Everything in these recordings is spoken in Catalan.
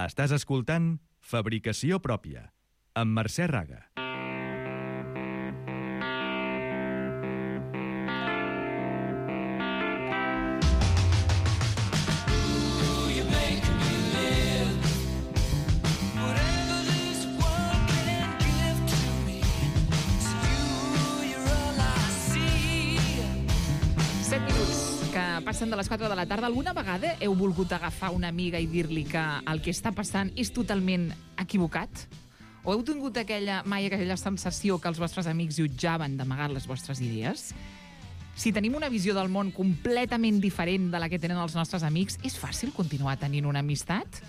Estàs escoltant Fabricació Pròpia, amb Mercè Raga. Passen de les 4 de la tarda. Alguna vegada heu volgut agafar una amiga i dir-li que el que està passant és totalment equivocat? O heu tingut mai aquella sensació que els vostres amics jutjaven d'amagar les vostres idees? Si tenim una visió del món completament diferent de la que tenen els nostres amics, és fàcil continuar tenint una amistat?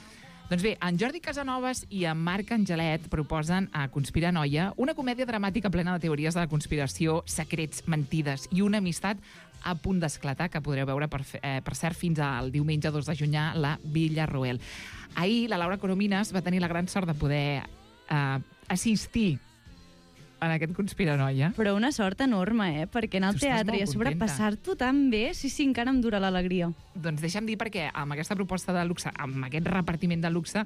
Doncs bé, en Jordi Casanovas i en Marc Angelet proposen a Conspiranoia una comèdia dramàtica plena de teories de la conspiració, secrets, mentides i una amistat a punt d'esclatar, que podreu veure, per cert, fins al diumenge 2 de juny a la Villarroel. Ahir la Laura Coromines va tenir la gran sort de poder assistir en aquest Conspiranoia. Però una sort enorme, perquè anar al teatre i a sobre passar-t'ho tan bé, sí, encara em dura l'alegria. Doncs deixa'm dir perquè amb aquesta proposta de luxe, amb aquest repartiment de luxe,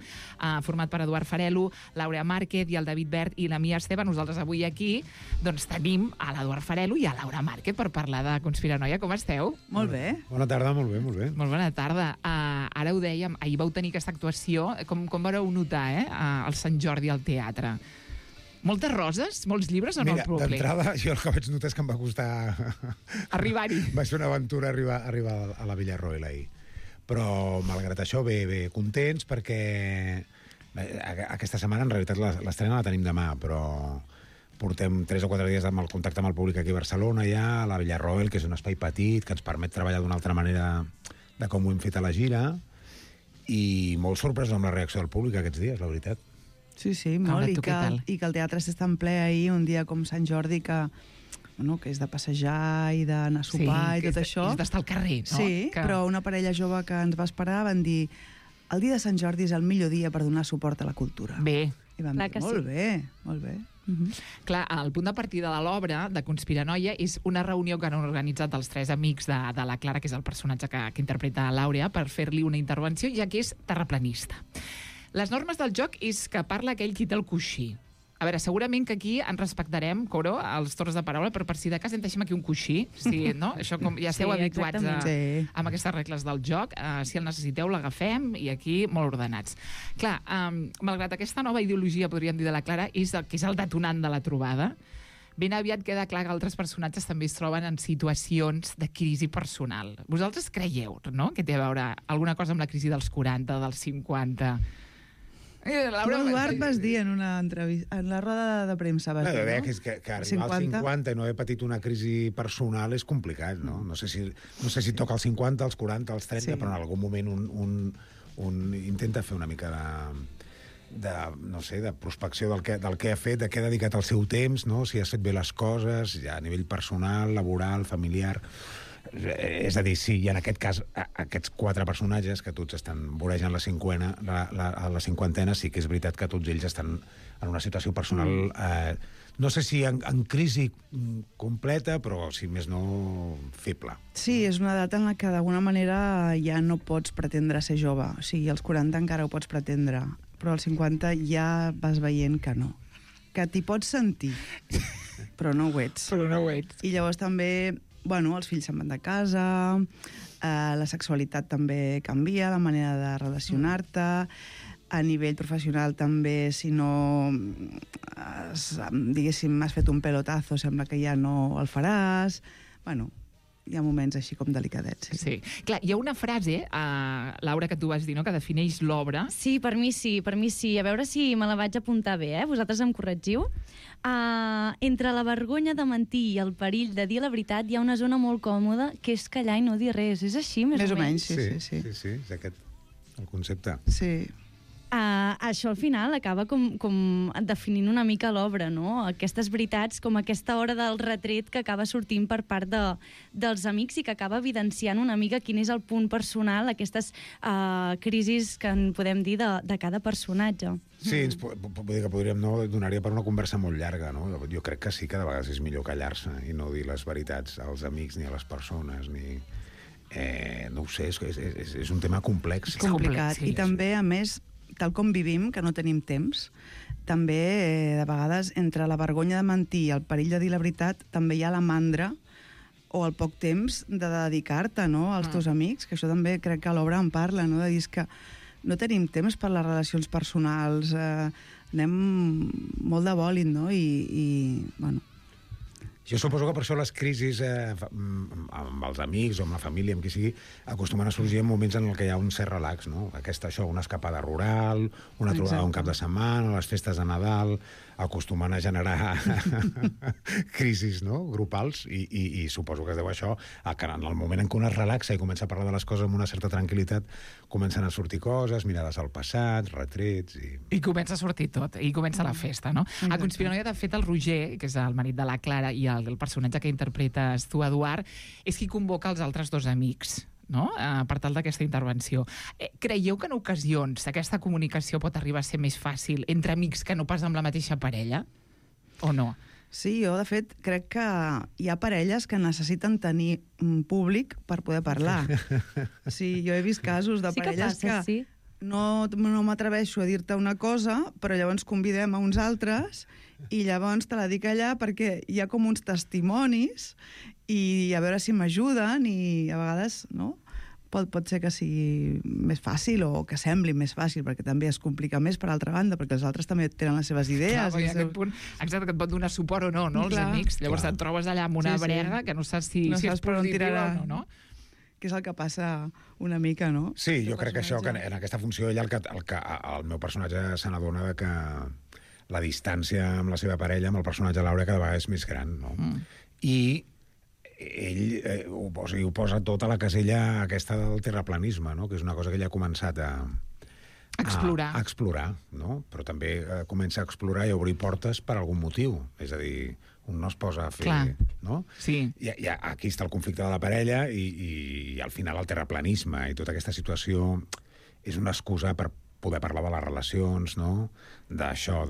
format per Eduard Farelo, Laura Márquez i el David Bert i la Mia Esteve, nosaltres avui aquí doncs tenim a l'Eduard Farelo i a Laura Márquez per parlar de Conspiranoia. Com esteu? Molt bé. Bona tarda, molt bé, molt bé. Molt bona tarda. Ara ho dèiem, ahir vau tenir aquesta actuació. Com vareu notar, el Sant Jordi al teatre? Moltes roses? Molts llibres o no? Mira, d'entrada, jo el que vaig notar és que em va costar... arribar-hi. Va ser una aventura arribar a la Villarroel ahir. Però, malgrat això, bé contents, perquè aquesta setmana, en realitat, l'estrena la tenim demà, però portem 3 o 4 dies amb el contacte amb el públic aquí a Barcelona, ja, a la Villarroel, que és un espai petit, que ens permet treballar d'una altra manera de com ho hem fet a la gira, i molt sorprès amb la reacció del públic aquests dies, la veritat. Sí, molt, i que el teatre s'està en ple ahir, un dia com Sant Jordi, que és de passejar i d'anar a sopar i tot això. És d'estar al carrer, no? Sí, però una parella jove que ens va esperar van dir el dia de Sant Jordi és el millor dia per donar suport a la cultura. Bé. I vam dir, molt bé. Clar, el punt de partida de l'obra de Conspiranoia és una reunió que han organitzat els 3 amics de la Clara, que és el personatge que interpreta l'Àurea, per fer-li una intervenció, ja que és terraplanista. Les normes del joc és que parla aquell qui té el coixí. A veure, segurament que aquí ens respectarem, Coro, els torns de paraula, però per si de cas en deixem aquí un coixí, sí, no? Això com ja esteu habituats amb aquestes regles del joc. Si el necessiteu, l'agafem i aquí molt ordenats. Clar, malgrat aquesta nova ideologia, podríem dir, de la Clara, que és el detonant de la trobada, ben aviat queda clar que altres personatges també es troben en situacions de crisi personal. Vosaltres creieu, no?, que té a veure alguna cosa amb la crisi dels 40, dels 50... Tu, Eduard, vas dir en una entrevista, en la roda de premsa, vas dir, no? Que arribar als 50 i no haver patit una crisi personal és complicat, no? No sé si toca els 50, els 40, els 30, però en algun moment un intenta fer una mica de prospecció del que ha fet, de què ha dedicat el seu temps, no? Si has fet bé les coses, ja a nivell personal, laboral, familiar... És a dir, sí, i en aquest cas aquests 4 personatges que tots estan vorejant la cinquantena, sí que és veritat que tots ells estan en una situació personal no sé si en crisi completa, però si més no feble. Sí, és una edat en la que d'alguna manera ja no pots pretendre ser jove. O sigui, als 40 encara ho pots pretendre, però als 50 ja vas veient que no, que t'hi pots sentir però no ho ets. I llavors també els fills se'n van de casa, la sexualitat també canvia, la manera de relacionar-te, a nivell professional també, si no, diguéssim, has fet un pelotazo, sembla que ja no el faràs. Hi ha moments així com delicadets. Sí. Clar, hi ha una frase, Laura, que tu vas dir, no?, que defineix l'obra. Sí, per mi sí. A veure si me la vaig apuntar bé, vosaltres em corregiu. Entre la vergonya de mentir i el perill de dir la veritat hi ha una zona molt còmoda que és callar i no dir res. És així, més o menys? Sí, és aquest el concepte. Sí. Això al final acaba com definint una mica l'obra, no? Aquestes veritats, com aquesta hora del retret que acaba sortint per part dels amics i que acaba evidenciant una mica quin és el punt personal, aquestes crisis que en podem dir de cada personatge. Sí, podríem donar-hi per una conversa molt llarga, no? Jo crec que sí que de vegades és millor callar-se i no dir les veritats als amics ni a les persones, ni... no ho sé, és un tema complex. Complicat. I també, a més, tal com vivim, que no tenim temps, també, de vegades, entre la vergonya de mentir i el perill de dir la veritat, també hi ha la mandra o el poc temps de dedicar-te, no?, als teus amics, que això també crec que l'obra en parla, no?, de dir que no tenim temps per les relacions personals, anem molt de bòlit, no?, i bueno... Jo suposo que per això les crisis amb els amics o amb la família, amb qui sigui, acostumen a sorgir en moments en què hi ha un cert relax, no? Una escapada rural, una trobada un cap de setmana, les festes de Nadal, acostumen a generar crisis, no?, grupals, i suposo que es deu a això, que en el moment en què un es relaxa i comença a parlar de les coses amb una certa tranquil·litat, comencen a sortir coses, mirades al passat, retrets... I comença a sortir tot, i comença la festa, no? A Conspiranoia, de fet, el Roger, que és el marit de la Clara, i el personatge que interpretes tu, Eduard, és qui convoca els altres dos amics, no?, per tal d'aquesta intervenció. Creieu que en ocasions aquesta comunicació pot arribar a ser més fàcil entre amics que no pas amb la mateixa parella? O no? Sí, jo, de fet, crec que hi ha parelles que necessiten tenir un públic per poder parlar. Sí, jo he vist casos de parelles que no m'atreveixo a dir-te una cosa, però llavors convidem a uns altres i llavors te la dic allà perquè hi ha com uns testimonis i a veure si m'ajuden, i a vegades, no?, pot ser que sigui més fàcil o que sembli més fàcil, perquè també es complica més per altra banda, perquè els altres també tenen les seves idees. Clar, aquest punt, exacte, que et pot donar suport o no, no, els amics. Llavors et trobes allà amb una brega que no saps si és positiva o no, no? Que és el que passa una mica, no? Sí, jo crec que això, que en aquesta funció ella, el meu personatge se n'adona que la distància amb la seva parella, amb el personatge Laura, cada vegada és més gran, no? I ell ho posa tot a la casella aquesta del terraplanisme, no?, que és una cosa que ella ha començat a explorar, no? Però també comença a explorar i a obrir portes per algun motiu. És a dir, un no es posa a fer... Clar. No? Sí. Aquí està el conflicte de la parella i al final el terraplanisme i tota aquesta situació és una excusa per poder parlar de les relacions, no?, d'això,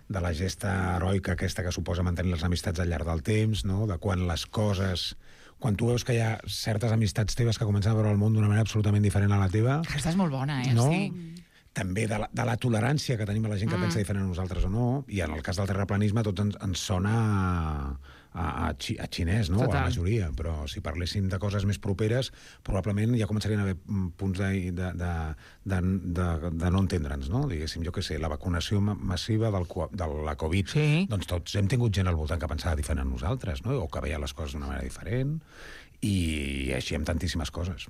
de la gesta heroica aquesta que suposa mantenir les amistats al llarg del temps, no?, de quan les coses... Quan tu veus que hi ha certes amistats teves que comencen a veure el món d'una manera absolutament diferent a la teva... Aquesta és molt bona, no? Sí. També de la tolerància que tenim a la gent que pensa diferent a nosaltres o no, i en el cas del terraplanisme tot ens sona a xinès, no?, Total. a la majoria, però si parléssim de coses més properes, probablement ja començarien a haver punts de no entendre'ns, no? Diguéssim, jo què sé, la vacunació massiva de la Covid, Sí. doncs tots hem tingut gent al voltant que pensava diferent a nosaltres, no?, o que veia les coses d'una manera diferent, i així amb tantíssimes coses.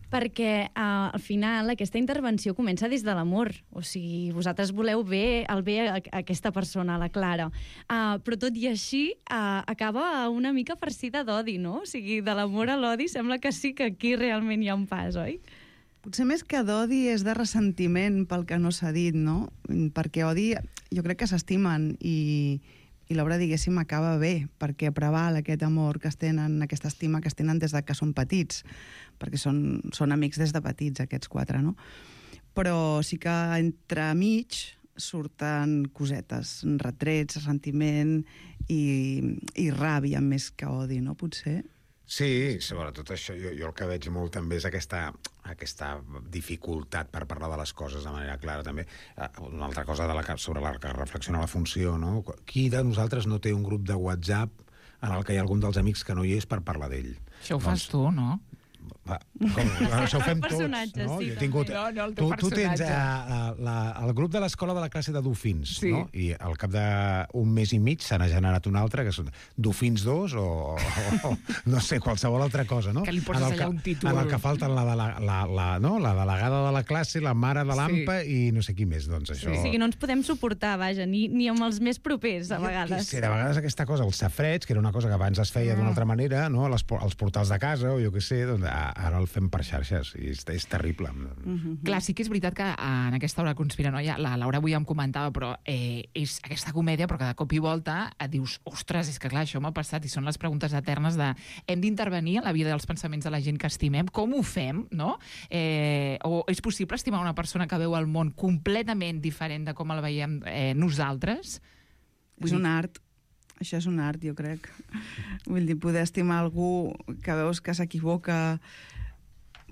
Perquè al final aquesta intervenció comença des de l'amor. O sigui, vosaltres voleu el bé a aquesta persona, a la Clara. Però tot i així acaba una mica farcida d'odi, no? O sigui, de l'amor a l'odi sembla que sí que aquí realment hi ha un pas, oi? Potser més que d'odi és de ressentiment pel que no s'ha dit, no? Perquè odi, jo crec que s'estimen i l'obra, diguéssim, acaba bé, perquè preval aquest amor que es tenen, aquesta estima que es tenen des de que són petits, perquè són amics des de petits, aquests quatre, no? Però sí que entre mig surten cosetes, retrets, ressentiment i ràbia més que odi, no? Potser... Sí, sobretot això, jo el que veig molt també és aquesta dificultat per parlar de les coses de manera clara, també. Una altra cosa sobre la que reflexiona la funció, no? Qui de nosaltres no té un grup de WhatsApp en el que hi ha algun dels amics que no hi és per parlar d'ell? Això ho fas tu, no? Això ho fem tots, no? Sí, Jo he tingut... Tu tens el grup de l'escola de la classe de dofins, sí. No? I al cap d'un mes i mig se n'ha generat un altre, que són dofins 2 o no sé, qualsevol altra cosa, no? Que li poses allà un títol. En el que falten la delegada de la classe, la mare de l'AMPA i no sé qui més, doncs això... O sigui, no ens podem suportar, vaja, ni amb els més propers, a vegades. Sí, de vegades aquesta cosa, els safrets, que era una cosa que abans es feia d'una altra manera, no? Els portals de casa, o jo què sé, doncs ara el fem per xarxes i és terrible. Clar, sí que és veritat que en aquesta hora conspiranoia, la Laura avui em comentava, però és aquesta comèdia, però que de cop i volta et dius, ostres, és que clar, això m'ha passat, i són les preguntes eternes de hem d'intervenir en la vida dels pensaments de la gent que estimem, com ho fem, no? O és possible estimar una persona que veu el món completament diferent de com el veiem nosaltres? És un art. Això és un art, jo crec. Vull dir, poder estimar algú que veus que s'equivoca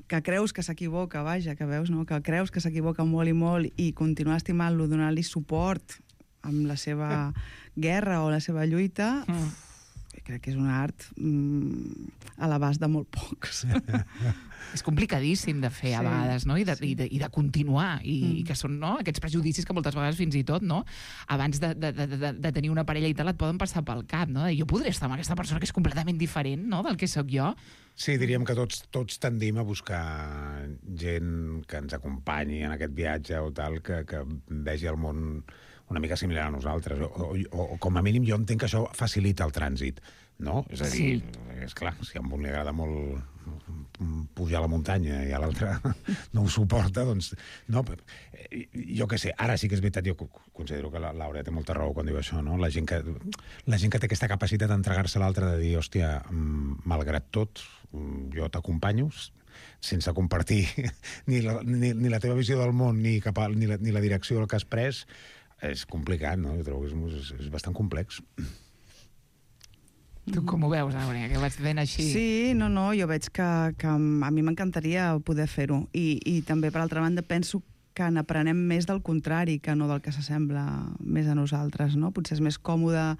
que creus que s'equivoca, vaja, que veus, no? Que creus que s'equivoca molt i molt i continuar estimant-lo, donant-li suport amb la seva guerra o la seva lluita, crec que és un art a l'abast de molt pocs. És complicadíssim de fer a vegades, no? I de continuar, i que són aquests prejudicis que moltes vegades fins i tot, no? Abans de tenir una parella i tal, et poden passar pel cap, no? Jo podré estar amb aquesta persona que és completament diferent, no?, del que sóc jo. Sí, diríem que tots tendim a buscar gent que ens acompanyi en aquest viatge o tal, que vegi el món una mica similar a nosaltres, o com a mínim jo entenc que això facilita el trànsit, no? És a dir, és clar, si a un li agrada molt pujar a la muntanya i a l'altre no ho suporta, doncs... No, jo què sé, ara sí que és veritat, jo considero que l'Àurea té molta raó quan diu això, no? La gent que té aquesta capacitat d'entregar-se a l'altre, de dir, hòstia, malgrat tot, jo t'acompanyo, sense compartir ni la teva visió del món ni la direcció del que has pres, és complicat, no? Jo trobo que és bastant complex. Tu com ho veus, Àurea, que vaig fent així? Sí, no, jo veig que a mi m'encantaria poder fer-ho. I també, per altra banda, penso que n'aprenem més del contrari que no del que s'assembla més a nosaltres, no? Potser és més còmode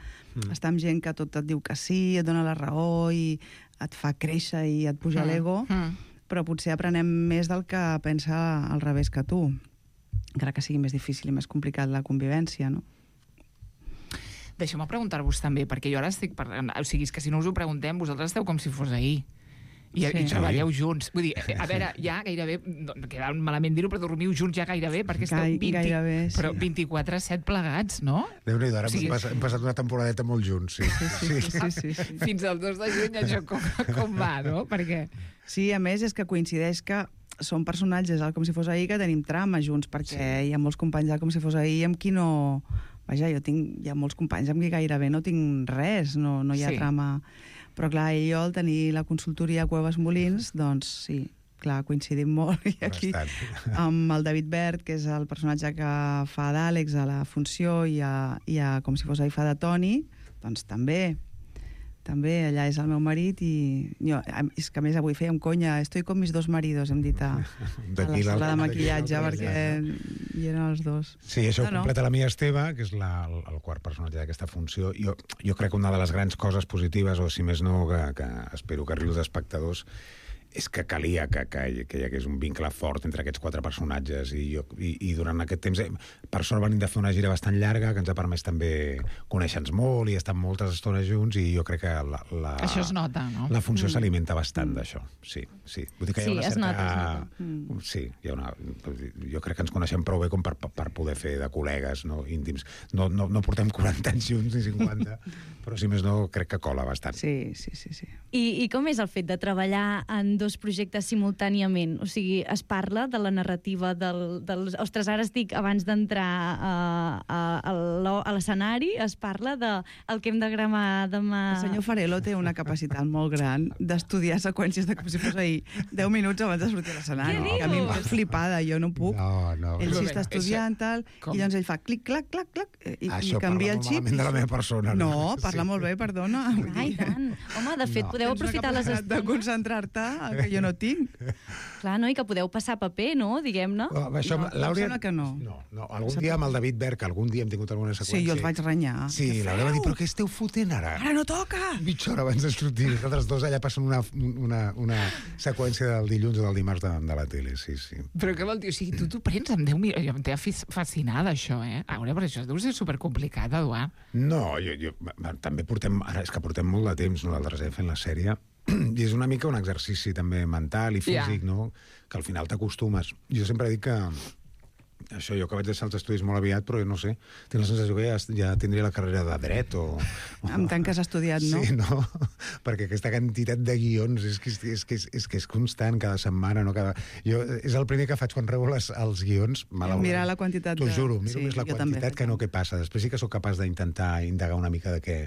estar amb gent que tot et diu que sí, et dona la raó i et fa créixer i et puja l'ego, però potser aprenem més del que pensa al revés que tu, encara que sigui més difícil i més complicat la convivència, no? Deixeu-me preguntar-vos també, perquè jo ara estic parlant... O sigui, és que si no us ho preguntem, vosaltres esteu com si fos ahir. I treballeu junts. Vull dir, a veure, ja gairebé... Queda malament dir-ho, però dormiu junts ja gairebé, perquè esteu 24/7 plegats, no? Déu-n'hi-do, ara hem passat una temporadeta molt junts, sí. Fins al 2 de juny això com va, no? Perquè... Sí, a més, és que coincideix que són personatges al Com si fos ahir que tenim trama junts, perquè hi ha molts companys al Com si fos ahir amb qui no... Vaja, hi ha molts companys amb qui gairebé no tinc res, no hi ha trama. Però clar, ell i jo, al tenir la consultoria a Cuevas Molins, doncs sí, clar, coincidim molt. I aquí, amb el David Bert, que és el personatge que fa d'Àlex a la Funció i a Com si fos ahir fa de Toni, doncs també allà és el meu marit i jo, és que a més avui fèiem conya, estoy con mis dos maridos, hem dit a la sala de maquillatge, perquè hi eren els dos. Sí, això ho completa la Mia Esteve, que és el quart personatge d'aquesta Funció. Jo crec que una de les grans coses positives, o si més no, que espero que arribi als espectadors, és que calia que hi hagués un vincle fort entre aquests 4 personatges i durant aquest temps, per sort venim de fer una gira bastant llarga que ens ha permès també conèixer-nos molt i estar moltes estones junts i jo crec que això es nota, no? La Funció s'alimenta bastant d'això, sí. Vull dir que hi ha una certa... es nota. Sí, hi ha una... Jo crec que ens coneixem prou bé com per poder fer de col·legues, no, íntims. No portem 40 anys junts ni 50, però si més no crec que cola bastant. Sí. I com és el fet de treballar en dos projectes simultàniament? O sigui, es parla de la narrativa dels... Ostres, ara estic abans d'entrar a l'escenari, es parla del que hem de gramar demà... El senyor Farelo té una capacitat molt gran d'estudiar seqüències de Com si fos ahir 10 minuts abans de sortir a l'escenari. Què A mi em fa flipada, jo no puc. No. Ell sí està estudiant, tal, i llavors ell fa clic, clac, clac, clac, i canvia el xip. Això parla molt malament de la meva persona. No, parla molt bé, perdona. Ai, tant. Home, de fet, podeu aprofitar les estones. De concentrar-te, que jo no tinc. Clar, no? I que podeu passar paper, no? Diguem-ne. Això, l'Àurea... Em sembla que no. No. Algun dia amb el David Berg, algun dia hem tingut alguna seqüència. Sí, jo els vaig renyar. Sí, l'Àurea va dir, però què esteu fotent ara? Ara no toca! Mitja hora abans de sortir. Nosaltres dos allà passen una seqüència del dilluns o del dimarts de la tele, sí. Però què vol dir? O sigui, tu prens amb 10 minuts... Jo em té fascinada, això, Àurea, però això deu ser supercomplicat, Eduard. No, també portem... Ara és que portem molt de temps, nosaltres, fent la sèrie, i és una mica un exercici també mental i físic, no? Que al final t'acostumes. Jo sempre dic que això, jo que vaig deixar els estudis molt aviat, però jo no sé, tinc la sensació que ja tindria la carrera de dret o... Amb tant que has estudiat, no? Sí, no? Perquè aquesta quantitat de guions és que és constant cada setmana, no? És el primer que faig quan rebo els guions, malauradament. Mirar la quantitat T'ho juro, miro més la quantitat que no què passa. Després sí que sóc capaç d'intentar indagar una mica de què...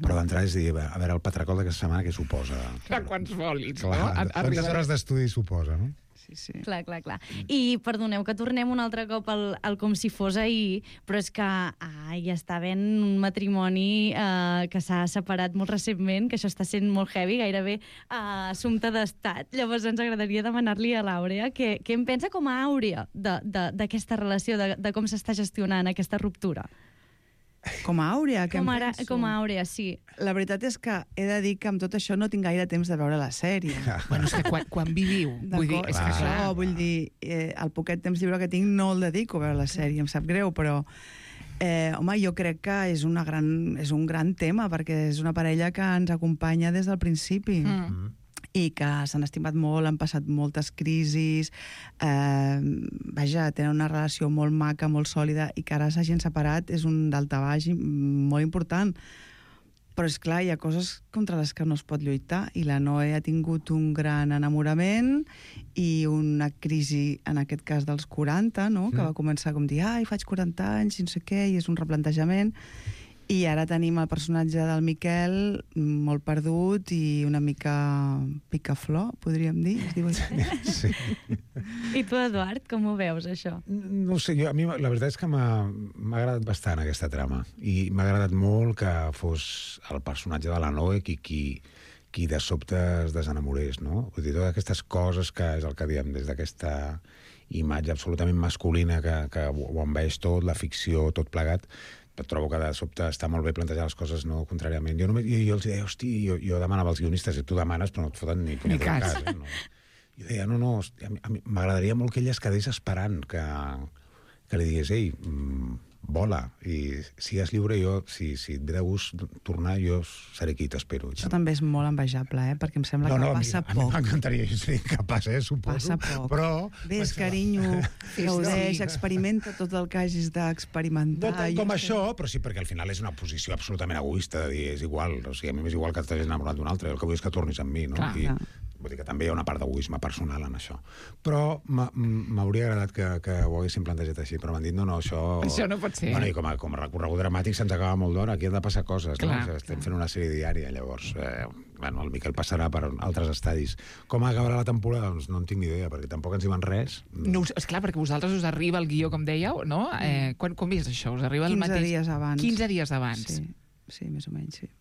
Però d'entrada és dir, a veure, el patracol d'aquesta setmana què suposa? A quants folis, no? Quantes hores d'estudi suposa, no? sí. Clar. I perdoneu que tornem un altre cop al com si fos ahir, però és que hi està havent un matrimoni que s'ha separat molt recentment, que això està sent molt heavy, gairebé assumpte d'estat. Llavors ens agradaria demanar-li a l'Àurea què en pensa com a Àurea d'aquesta relació, de com s'està gestionant aquesta ruptura. Com a Àurea, què em penso? Com a Àurea, sí. La veritat és que he de dir que amb tot això no tinc gaire temps de veure la sèrie. Bueno, és que quan viviu, vull dir, és que clar. Això, vull dir, el poquet temps lliure que tinc no el dedico a veure la sèrie, em sap greu, però home, jo crec que és un gran tema, perquè és una parella que ens acompanya des del principi. I que s'han estimat molt, han passat moltes crisis, vaja, tenen una relació molt maca, molt sòlida, i que ara s'hagin separat és un daltabaix molt important. Però, és clar, hi ha coses contra les que no es pot lluitar, i la Noe ha tingut un gran enamorament i una crisi, en aquest cas dels 40, no? Que va començar com dir, faig 40 anys, i no sé què, i és un replantejament. I ara tenim el personatge del Miquel molt perdut i una mica picaflor, podríem dir, es diu així. Sí. I tu, Eduard, com ho veus, això? No sé, a mi la veritat és que m'ha agradat bastant aquesta trama, i m'ha agradat molt que fos el personatge de la Noe qui de sobte es desenamorés, no? Vull dir, totes aquestes coses que és el que diem, des d'aquesta imatge absolutament masculina que ho envaeix tot, la ficció, tot plegat. Trobo que de sobte està molt bé plantejar les coses, no contràriament. Jo els deia, hosti, jo demanava als guionistes, i tu demanes, però no et foten ni cas. No? Jo deia, no, m'agradaria molt que ella es quedés esperant que li digués, ei, vola, i sigues lliure, jo, si et ve de gust tornar, jo seré aquí, t'espero. Això també és molt envejable, perquè em sembla que passa poc. A mi m'encantaria, jo seria incapaç, suposo. Passa poc. Però... Ves, carinyo, gaudeix, experimenta tot el que hagis d'experimentar. No tant com això, però sí, perquè al final és una posició absolutament egoista, de dir, és igual, o sigui, a mi m'és igual que t'hagis enamorat d'un altre, el que vull és que tornis amb mi, no? Clar. Vull dir que també hi ha una part d'egoisme personal en això. Però m'hauria agradat que ho haguéssim plantejat així, però m'han dit, no, això... Això no pot ser. Bueno, i com a recorregut dramàtic se'ns acaba molt d'hora, aquí han de passar coses, no? Estem fent una sèrie diària, llavors, el Miquel passarà per altres estadis. Com acabarà la temporada? Doncs no en tinc ni idea, perquè tampoc ens diuen res. No, esclar, perquè vosaltres us arriba el guió, com dèieu, no? Com és això? Us arriba el mateix... 15 dies abans. 15 dies abans. Sí, més o menys, sí.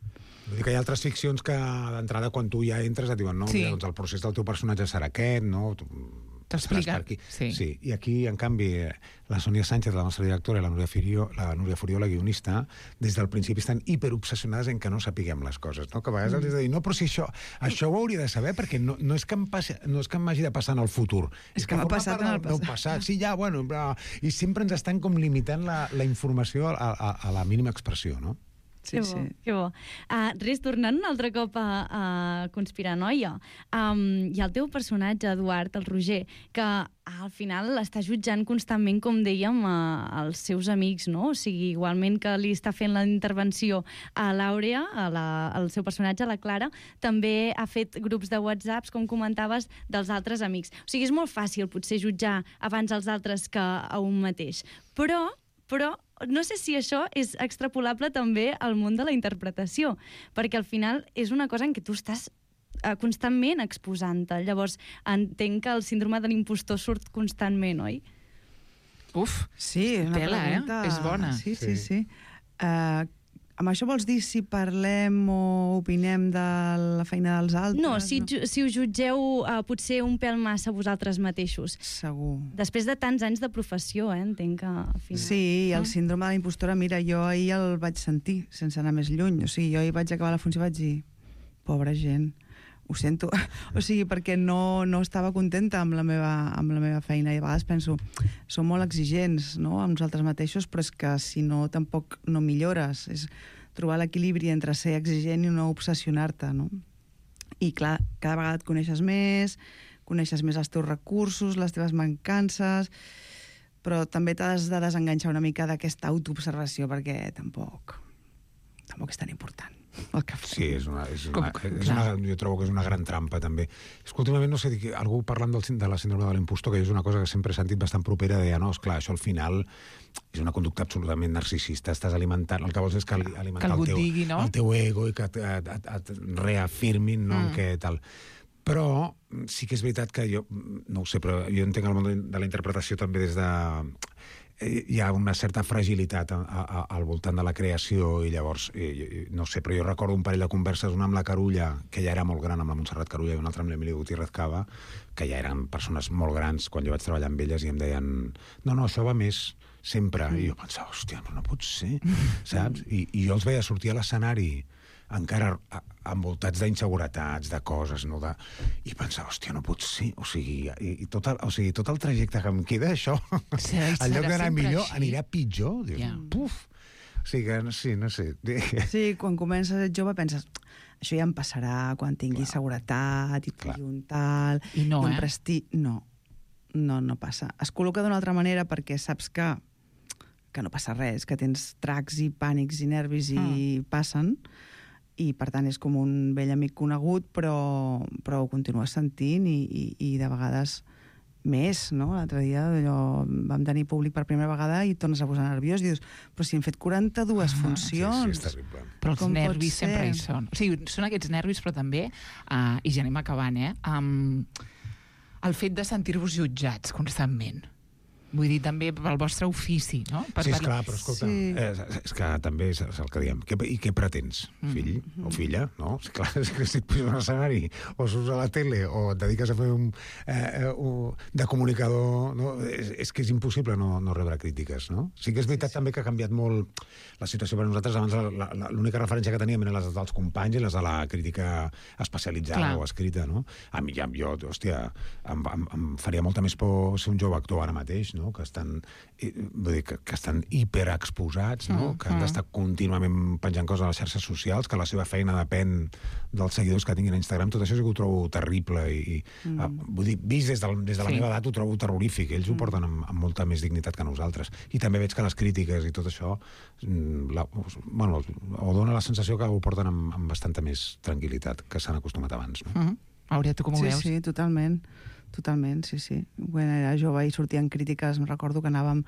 Vull dir que hi ha altres ficcions que d'entrada quan tu ja entres et diuen no, mira, doncs el procés del teu personatge serà aquest, no? T'explica. Sí. I aquí, en canvi, la Sònia Sánchez, la nostra directora, i la Núria Furió, la guionista, des del principi estan hiperobsessionades en que no sapiguem les coses, no? Que a vegades els he de dir, no, però si això ho hauria de saber, perquè no és que m'hagi de passar en el futur. És que m'ha passat en el passat. Sí, ja, bueno, però... I sempre ens estan com limitant la informació a la mínima expressió, no? Que bo. Res, tornant un altre cop a Conspirar Noia, hi ha el teu personatge, Eduard, el Roger, que al final està jutjant constantment, com dèiem, als seus amics, no? O sigui, igualment que li està fent la intervenció a l'Àurea, al seu personatge, a la Clara, també ha fet grups de WhatsApps, com comentaves, dels altres amics. O sigui, és molt fàcil, potser, jutjar abans els altres que a un mateix. Però no sé si això és extrapolable també al món de la interpretació, perquè al final és una cosa en què tu estàs constantment exposant-te. Llavors, entenc que el síndrome de l'impostor surt constantment, oi? Uf, sí, una tela, pregunta... És bona. Sí. Amb això vols dir si parlem o opinem de la feina dels altres? No, si ho jutgeu potser un pèl massa vosaltres mateixos. Segur. Després de tants anys de professió, entenc que al final... Sí, el síndrome de la impostora, mira, jo ahir el vaig sentir, sense anar més lluny. O sigui, jo ahir vaig acabar la funció i vaig dir, pobra gent, ho sento. O sigui, perquè no estava contenta amb la meva feina, i a vegades penso, som molt exigents, no?, amb nosaltres mateixos, però és que si no, tampoc no millores. És trobar l'equilibri entre ser exigent i no obsessionar-te, no? I clar, cada vegada et coneixes més els teus recursos, les teves mancances, però també t'has de desenganxar una mica d'aquesta autoobservació, perquè tampoc és tan important el que fas. Sí, jo trobo que és una gran trampa, també. És que últimament, no sé, algú parlant de la síndrome de l'impostor, que és una cosa que sempre he sentit bastant propera, deia, no, esclar, això al final és una conducta absolutament narcisista, estàs alimentant, el que vols és que alimentar el teu ego i que et reafirmin, no?, en què tal. Però sí que és veritat que jo, no ho sé, però jo entenc el món de la interpretació també des de... Hi ha una certa fragilitat al voltant de la creació i llavors, no sé, però jo recordo un parell de converses, una amb la Carulla, que ja era molt gran, amb la Montserrat Carulla, i una altra amb l'Emili Gutiérrez Cava, que ja eren persones molt grans quan jo vaig treballar amb elles i em deien no, això va més sempre. I jo pensava, hòstia, no pot ser, saps? I jo els veia sortir a l'escenari encara envoltats d'inseguretats, de coses, no? I pensava, hòstia, no pot ser. O sigui, tot el trajecte que em queda, això, en lloc d'anar millor, anirà pitjor. Dius, puf! O sigui, sí, no sé. Sí, quan comences a ser jove penses això ja em passarà quan tingui seguretat i tingui un tal... I no, un prestigi... No passa. Es col·loca d'una altra manera perquè saps que no passa res, que tens tracs i pànics i nervis i passen, i per tant és com un vell amic conegut, però ho continues sentint i de vegades més, no? L'altre dia vam tenir públic per primera vegada i et tornes a posar nerviós i dius, però si hem fet 42 funcions... Sí, és terrible. Però els nervis sempre hi són. O sigui, són aquests nervis, però també, i ja anem acabant, el fet de sentir-vos jutjats constantment. Vull dir, també pel vostre ofici, no? Sí, esclar, però escolta, és que també és el que diem. I què pretens, fill o filla? No? Clar, és que si et puges a un escenari o surts a la tele o et dediques a fer de comunicador, no? És que és impossible no rebre crítiques, no? Sí que és veritat també que ha canviat molt la situació per nosaltres. Abans l'única referència que teníem eren les dels companys i les de la crítica especialitzada o escrita, no? A mi, jo, hòstia, em faria molta més por ser un jove actor ara mateix, no? Que estan hiperexposats, no? Que han d'estar contínuament penjant coses a les xarxes socials, que la seva feina depèn dels seguidors que tinguin a Instagram. Tot això sí que ho trobo terrible i vull dir, vist des de la meva edat ho trobo terrorífic. Ells ho porten amb molta més dignitat que nosaltres. I també veig que les crítiques i tot això o dona la sensació que ho porten amb bastanta més tranquil·litat que s'han acostumat abans, no? Àurea, tu com ho veus? Sí, totalment, sí. Quan era jove i sortien crítiques, em recordo que anàvem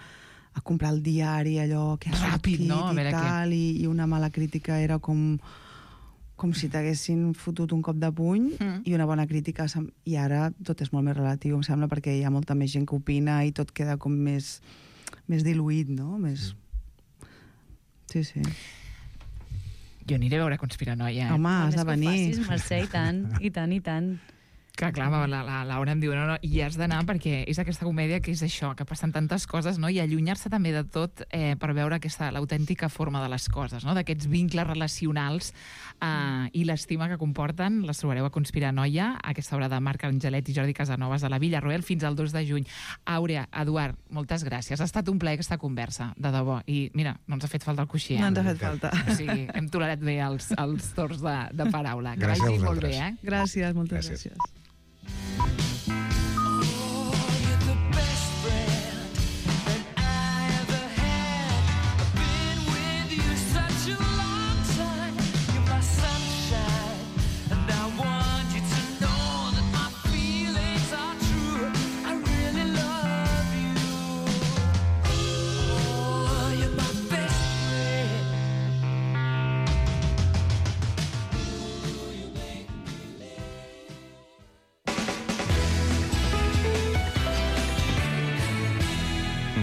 a comprar el diari, allò que ha sortit i tal, i una mala crítica era com si t'haguessin fotut un cop de puny i una bona crítica, i ara tot és molt més relatiu, em sembla, perquè hi ha molta més gent que opina i tot queda com més diluït, no? Sí. Jo aniré a veure Conspiranoia. Home, has de venir. Que ho facis, Mercè, i tant. Que clar, la Laura em diu, no, i has d'anar perquè és aquesta comèdia que és això, que passen tantes coses, no? I allunyar-se també de tot per veure l'autèntica forma de les coses, no? D'aquests vincles relacionals i l'estima que comporten. Les trobareu a Conspiranoia, aquesta obra de Marc Angelet i Jordi Casanovas a la Villarroel fins al 2 de juny. Àurea, Eduard, moltes gràcies. Ha estat un plaer aquesta conversa, de debò. I mira, no ens ha fet falta el coixí. No ens ha fet falta. O sigui, hem tolerat bé els torns de paraula. Que Gràcies a vagi molt vosaltres. bé, Gràcies, moltes gràcies.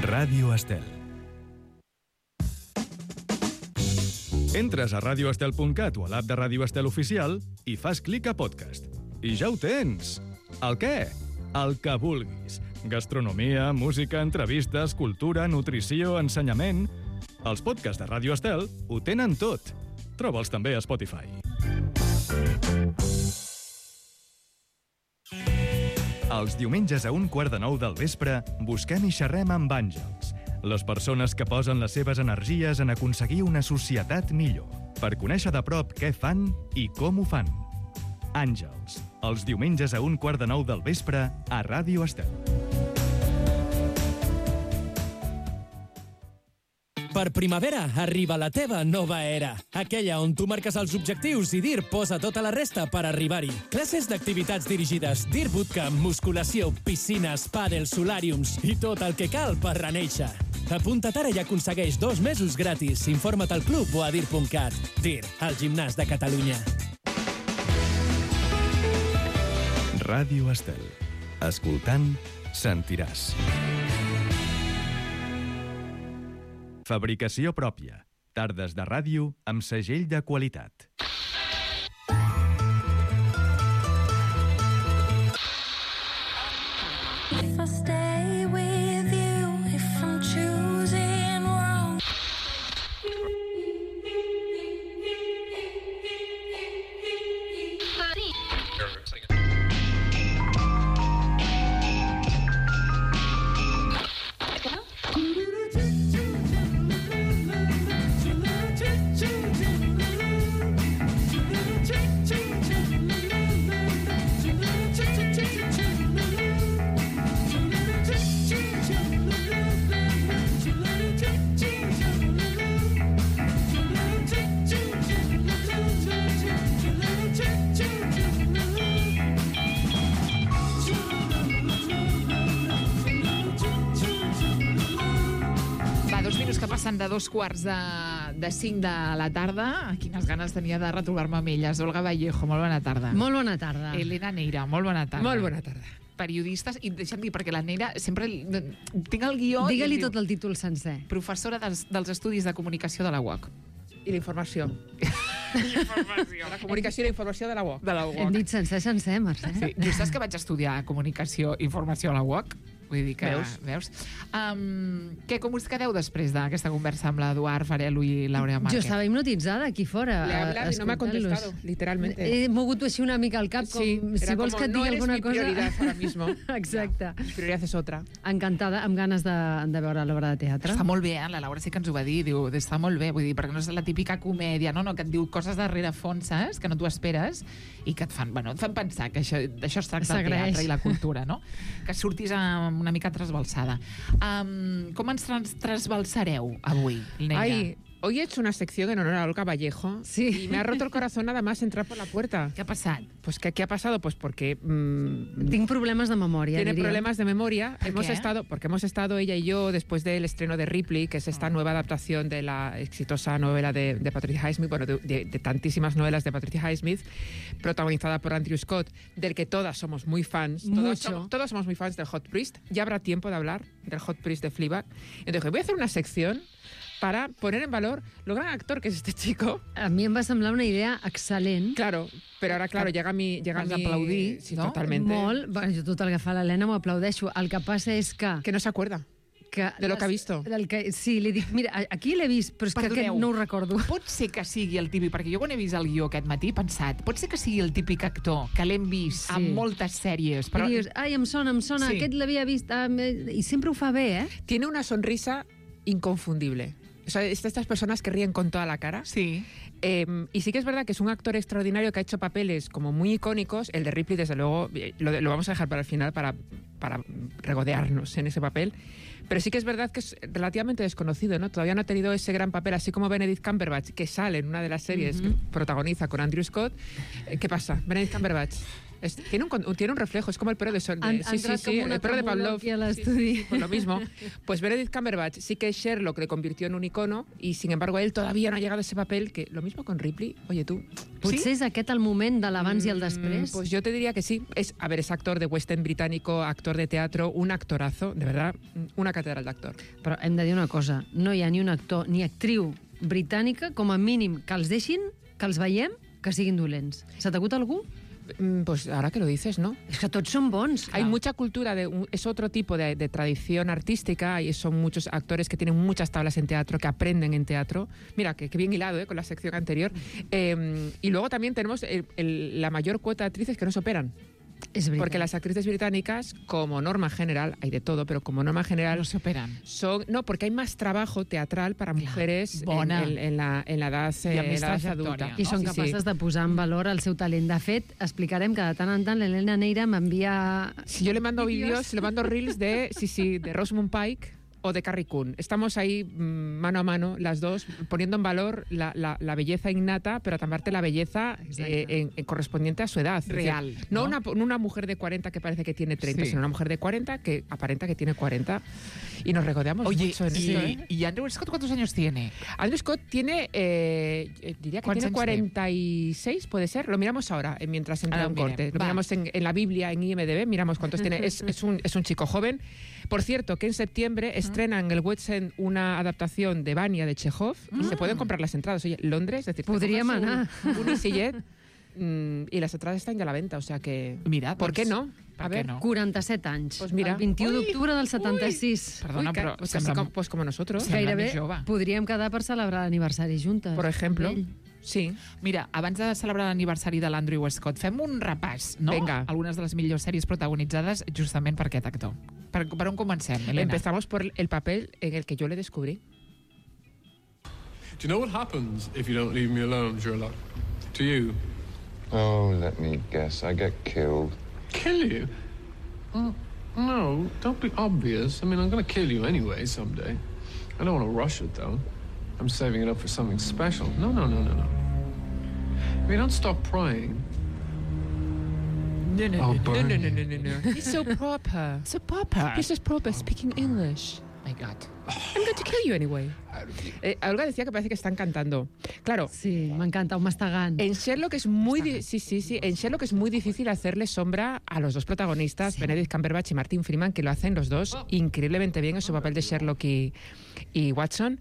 Ràdio Estel. Entres a radioestel.cat o a l'app de Ràdio Estel Oficial i fas clic a podcast. I ja ho tens! El què? El que vulguis. Gastronomia, música, entrevistes, cultura, nutrició, ensenyament... Els podcasts de Ràdio Estel ho tenen tot. Troba'ls també a Spotify. Els diumenges a 8:45 del vespre busquem i xerrem amb àngels, les persones que posen les seves energies en aconseguir una societat millor, per conèixer de prop què fan i com ho fan. Àngels, els diumenges a 8:45 del vespre a Ràdio Estel. Per primavera arriba la teva nova era. Aquella on tu marques els objectius i DIR posa tota la resta per arribar-hi. Classes d'activitats dirigides, DIR Bootcamp, musculació, piscines, pàdel, solàriums i tot el que cal per renéixer. Apunta't ara i aconsegueix 2 mesos gratis. Informa't al club o a dir.cat. DIR, el gimnàs de Catalunya. Ràdio Estel. Escoltant, sentiràs. Fabricació pròpia. Tardes de ràdio amb segell de qualitat. If I stay with you, if I'm choosing wrong. Passen de 2:45 de la tarda. Quines ganes tenia de retrobar-me amb elles. Olga Vallejo, molt bona tarda. Molt bona tarda. Elena Neira, molt bona tarda. Molt bona tarda. Periodistes, i deixa'm dir, perquè la Neira sempre tinc el guió... Digue-li tot el títol sencer. Professora dels Estudis de Comunicació de la UOC. I la informació. La comunicació i la informació de la UOC. Hem dit sencer, Mercè. Sí. Tu saps que vaig estudiar Comunicació i Informació a la UOC? Vull dir que... Veus? Com us quedeu després d'aquesta conversa amb l'Eduard Farelo i l'Àurea Márquez? Jo estava hipnotitzada aquí fora. Le he hablado y no me ha contestado, literalmente. He mogut així una mica el cap, com si vols que et digui alguna cosa. No eres mi prioridad ahora mismo. Exacte. Mi prioridad es otra. Encantada, amb ganes de veure l'obra de teatre. Està molt bé, la Laura sí que ens ho va dir. Diu, està molt bé, vull dir, perquè no és la típica comèdia, no? Que et diu coses darrere fons, saps? Que no t'ho esperes i que et fan pensar que d'això es tracta el teatre i la cultura, no? Que surtis una mica trasbalsada. Com ens trasbalsareu avui, Neira? Ay, hoy he hecho una sección en honor a Olga Vallejo y me ha roto el corazón nada más entrar por la puerta. ¿Qué ha pasado? Pues ¿qué ha pasado? Pues porque... Tengo problemas de memoria. Tiene problemas de memoria. Porque hemos estado ella y yo después del estreno de Ripley, que es esta nueva adaptación de la exitosa novela de Patricia Highsmith, bueno, de tantísimas novelas de Patricia Highsmith, protagonizada por Andrew Scott, del que todas somos muy fans. Todos somos muy fans del Hot Priest. Ya habrá tiempo de hablar del Hot Priest de Fleabag. Entonces voy a hacer una sección para poner en valor lo gran actor que es este chico. A mi em va semblar una idea excel·lent. Claro, però ara, claro, llega mi... aplaudir, sí, no? Totalmente. Molt. Bueno, jo tot el que fa l'Helena m'ho aplaudeixo. El que passa és que no s'acuerda de lo que ha visto. Sí, li dic, mira, aquí l'he vist, però és que aquest no ho recordo. Pot ser que sigui el típic, perquè jo quan he vist el guió aquest matí he pensat, pot ser que sigui el típic actor que l'hem vist en moltes sèries. Però... I dius, ai, em sona, aquest l'havia vist, i sempre ho fa bé, ¿eh? Tiene una sonrisa inconfundible. O sea, estas personas que ríen con toda la cara. Sí. Y sí que es verdad que es un actor extraordinario que ha hecho papeles como muy icónicos. El de Ripley, desde luego, lo vamos a dejar para el final para regodearnos en ese papel. Pero sí que es verdad que es relativamente desconocido, ¿no? Todavía no ha tenido ese gran papel, así como Benedict Cumberbatch, que sale en una de las series que protagoniza con Andrew Scott. ¿Qué pasa? Benedict Cumberbatch tiene un reflejo, es como el perro de Sol. Sí, el perro de Pavlov. Sí, pues lo mismo. Pues Benedict Cumberbatch sí que Sherlock le convirtió en un icono y sin embargo él todavía no ha llegado a ese papel, que lo mismo con Ripley. Oye, tú. Potser és aquest el moment de l'abans i el després? Pues yo te diría que sí. Es actor de West End británico, actor de teatro, un actorazo, de verdad, una catedral d'actor. Però hem de dir una cosa, no hi ha ni un actor ni actriu britànica, com a mínim, que els deixin, que els veiem, que siguin dolents. Se t'acut algú? Pues ahora que lo dices, ¿no? Es que tots són bons. Hay mucha cultura, es otro tipo de tradición artística y son muchos actores que tienen muchas tablas en teatro, que aprenden en teatro. Mira, que bien hilado con la sección anterior. Y luego también tenemos la mayor cuota de actrices que no se operan. Es verdad. Porque las actrices británicas, como norma general, hay de todo, pero como norma general... No se operan. No, porque hay más trabajo teatral para mujeres en la edad adulta. I són capaces de posar en valor el seu talent. De fet, explicarem que de tant en tant l'Helena Neira m'envia... Si yo le mando vídeos, le mando reels de Rosamund Pike o de Carrie Coon. Estamos ahí mano a mano, las dos, poniendo en valor la belleza innata, pero también la belleza correspondiente a su edad. Real. Es decir, no una mujer de 40 que parece que tiene 30, sino una mujer de 40 que aparenta que tiene 40. Y nos regodeamos Oye, mucho en esto, ¿eh? ¿y Andrew Scott cuántos años tiene? Andrew Scott tiene, diría que tiene 46, puede ser. Lo miramos ahora, mientras entra un corte. Lo miramos en la Biblia, en IMDb, miramos cuántos tiene. Es un chico joven. Por cierto, que en septiembre estrena en el West End una adaptación de Vania de Chekhov y se pueden comprar las entradas. Oye, Londres, es decir, Podríem anar. un EasyJet y las entradas están ya a la venta, o sea que... Mira, ¿por qué no? A ver, no? 47 anys. Pues mira. El 21 d'octubre del 76. Perdona, però sembla... Pues como nosotros. Sembla Gairebé més jove. podríem quedar per celebrar l'aniversari juntes. Por ejemplo. Ell. Sí. Mira, abans de celebrar l'aniversari de l'Andrew Scott, fem un repàs, no? Venga. Algunes de les millors sèries protagonitzades justament per aquest actor. Per on comencem, Elena? Empezamos por el papel en el que yo le descubrí. Do you know what happens if you don't leave me alone, Sherlock? To you? Oh, let me guess. I get killed. Kill you? No, don't be obvious. I mean, I'm going to kill you anyway someday. I don't want to rush it, though. I'm saving it up for something special. No. If you don't stop prying... No. burn He's so proper. So proper. He's just proper, speaking English. My God. I'm going to kill you anyway. Olga decía que parece que están cantando. Claro. Sí, m'encanta, un mastegant. En Sherlock es muy En Sherlock es muy difícil hacerle sombra a los dos protagonistas, Benedict Cumberbatch y Martin Freeman, que lo hacen los dos increíblemente bien en su papel de Sherlock y Watson.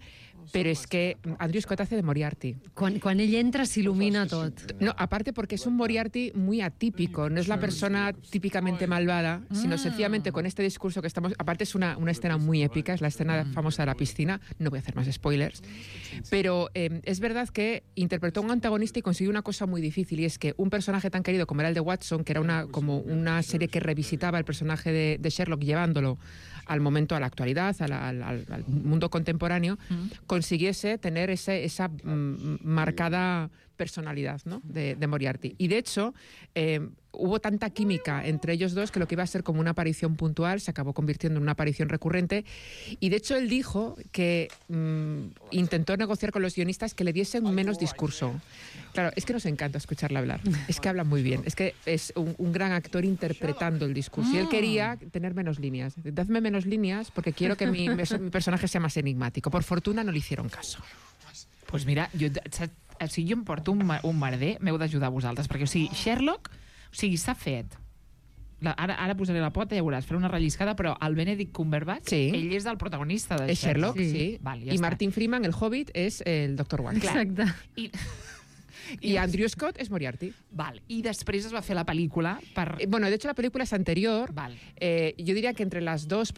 Pero es que Andrew Scott hace de Moriarty. Quan ell entra s'il·lumina tot. No, aparte porque es un Moriarty muy atípico. No es la persona típicamente malvada, sino sencillamente con este discurso que estamos... Aparte es una escena muy épica, es la escena famosa de la piscina. No voy a hacer más spoilers. Pero es verdad que interpretó a un antagonista y consiguió una cosa muy difícil, y es que un personaje tan querido como era el de Watson, que era como una serie que revisitaba el personaje de Sherlock llevándolo al momento, a la actualidad, al mundo contemporáneo, consiguiese tener esa marcada personalidad, ¿no?, de Moriarty. Y de hecho, hubo tanta química entre ellos dos que lo que iba a ser como una aparición puntual se acabó convirtiendo en una aparición recurrente. Y de hecho él dijo que intentó negociar con los guionistas que le diesen menos discurso. Claro, es que nos encanta escucharle hablar. Es que habla muy bien. Es que es un gran actor interpretando el discurso. Y él quería tener menos líneas. Dadme menos líneas porque quiero que mi personaje sea más enigmático. Por fortuna no le hicieron caso. Pues mira, jo em porto un merder, m'heu d'ajudar vosaltres, perquè, Sherlock, s'ha fet. Ara posaré la pota i ja veuràs, faré una relliscada, però el Benedict Cumberbatch, ell és el protagonista de Sherlock. Sí. Val, ja y està. Martin Freeman, el Hobbit, es el Dr. Watson. Exacte. Y Andrew Scott es Moriarty. Vale. Y después es va a hacer la película bueno, de hecho la película es anterior. Vale. Yo diría que entre las dos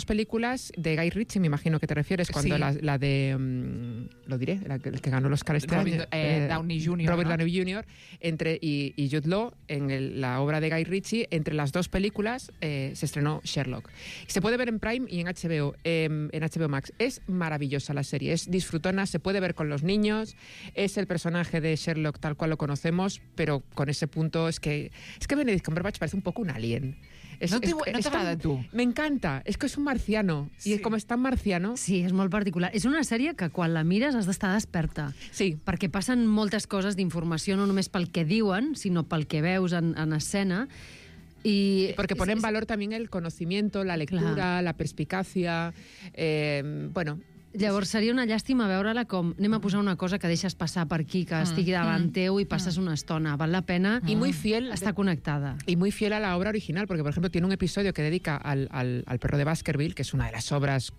películas de Guy Ritchie, me imagino que te refieres, cuando la de... lo diré, el que ganó el Oscar este año. Downey Jr. Robert ¿no? Downey Jr. Y Jude Law, en la obra de Guy Ritchie, entre las dos películas se estrenó Sherlock. Se puede ver en Prime y en HBO Max. Es maravillosa la serie, es disfrutona, se puede ver con los niños, es el personaje de Sherlock tal cual lo conocemos, pero con ese punto es que Benedict Cumberbatch parece un poco un alien. No te agrada tu? Me encanta, és que és un marciano, i com és tan marciano... Sí, és molt particular. És una sèrie que quan la mires has d'estar desperta. Sí. Perquè passen moltes coses d'informació, no només pel que diuen, sinó pel que veus en escena. Y porque pone en valor también el conocimiento, la lectura, la perspicacia, bueno... Llavors seria una llàstima veure-la com anem a posar una cosa que deixes passar per aquí, que estigui davant teu i passes una estona. Val la pena y muy fiel, estar conectada. Y muy fiel a la obra original, porque por ejemplo tiene un episodio que dedica al perro de Baskerville, que es una de las obras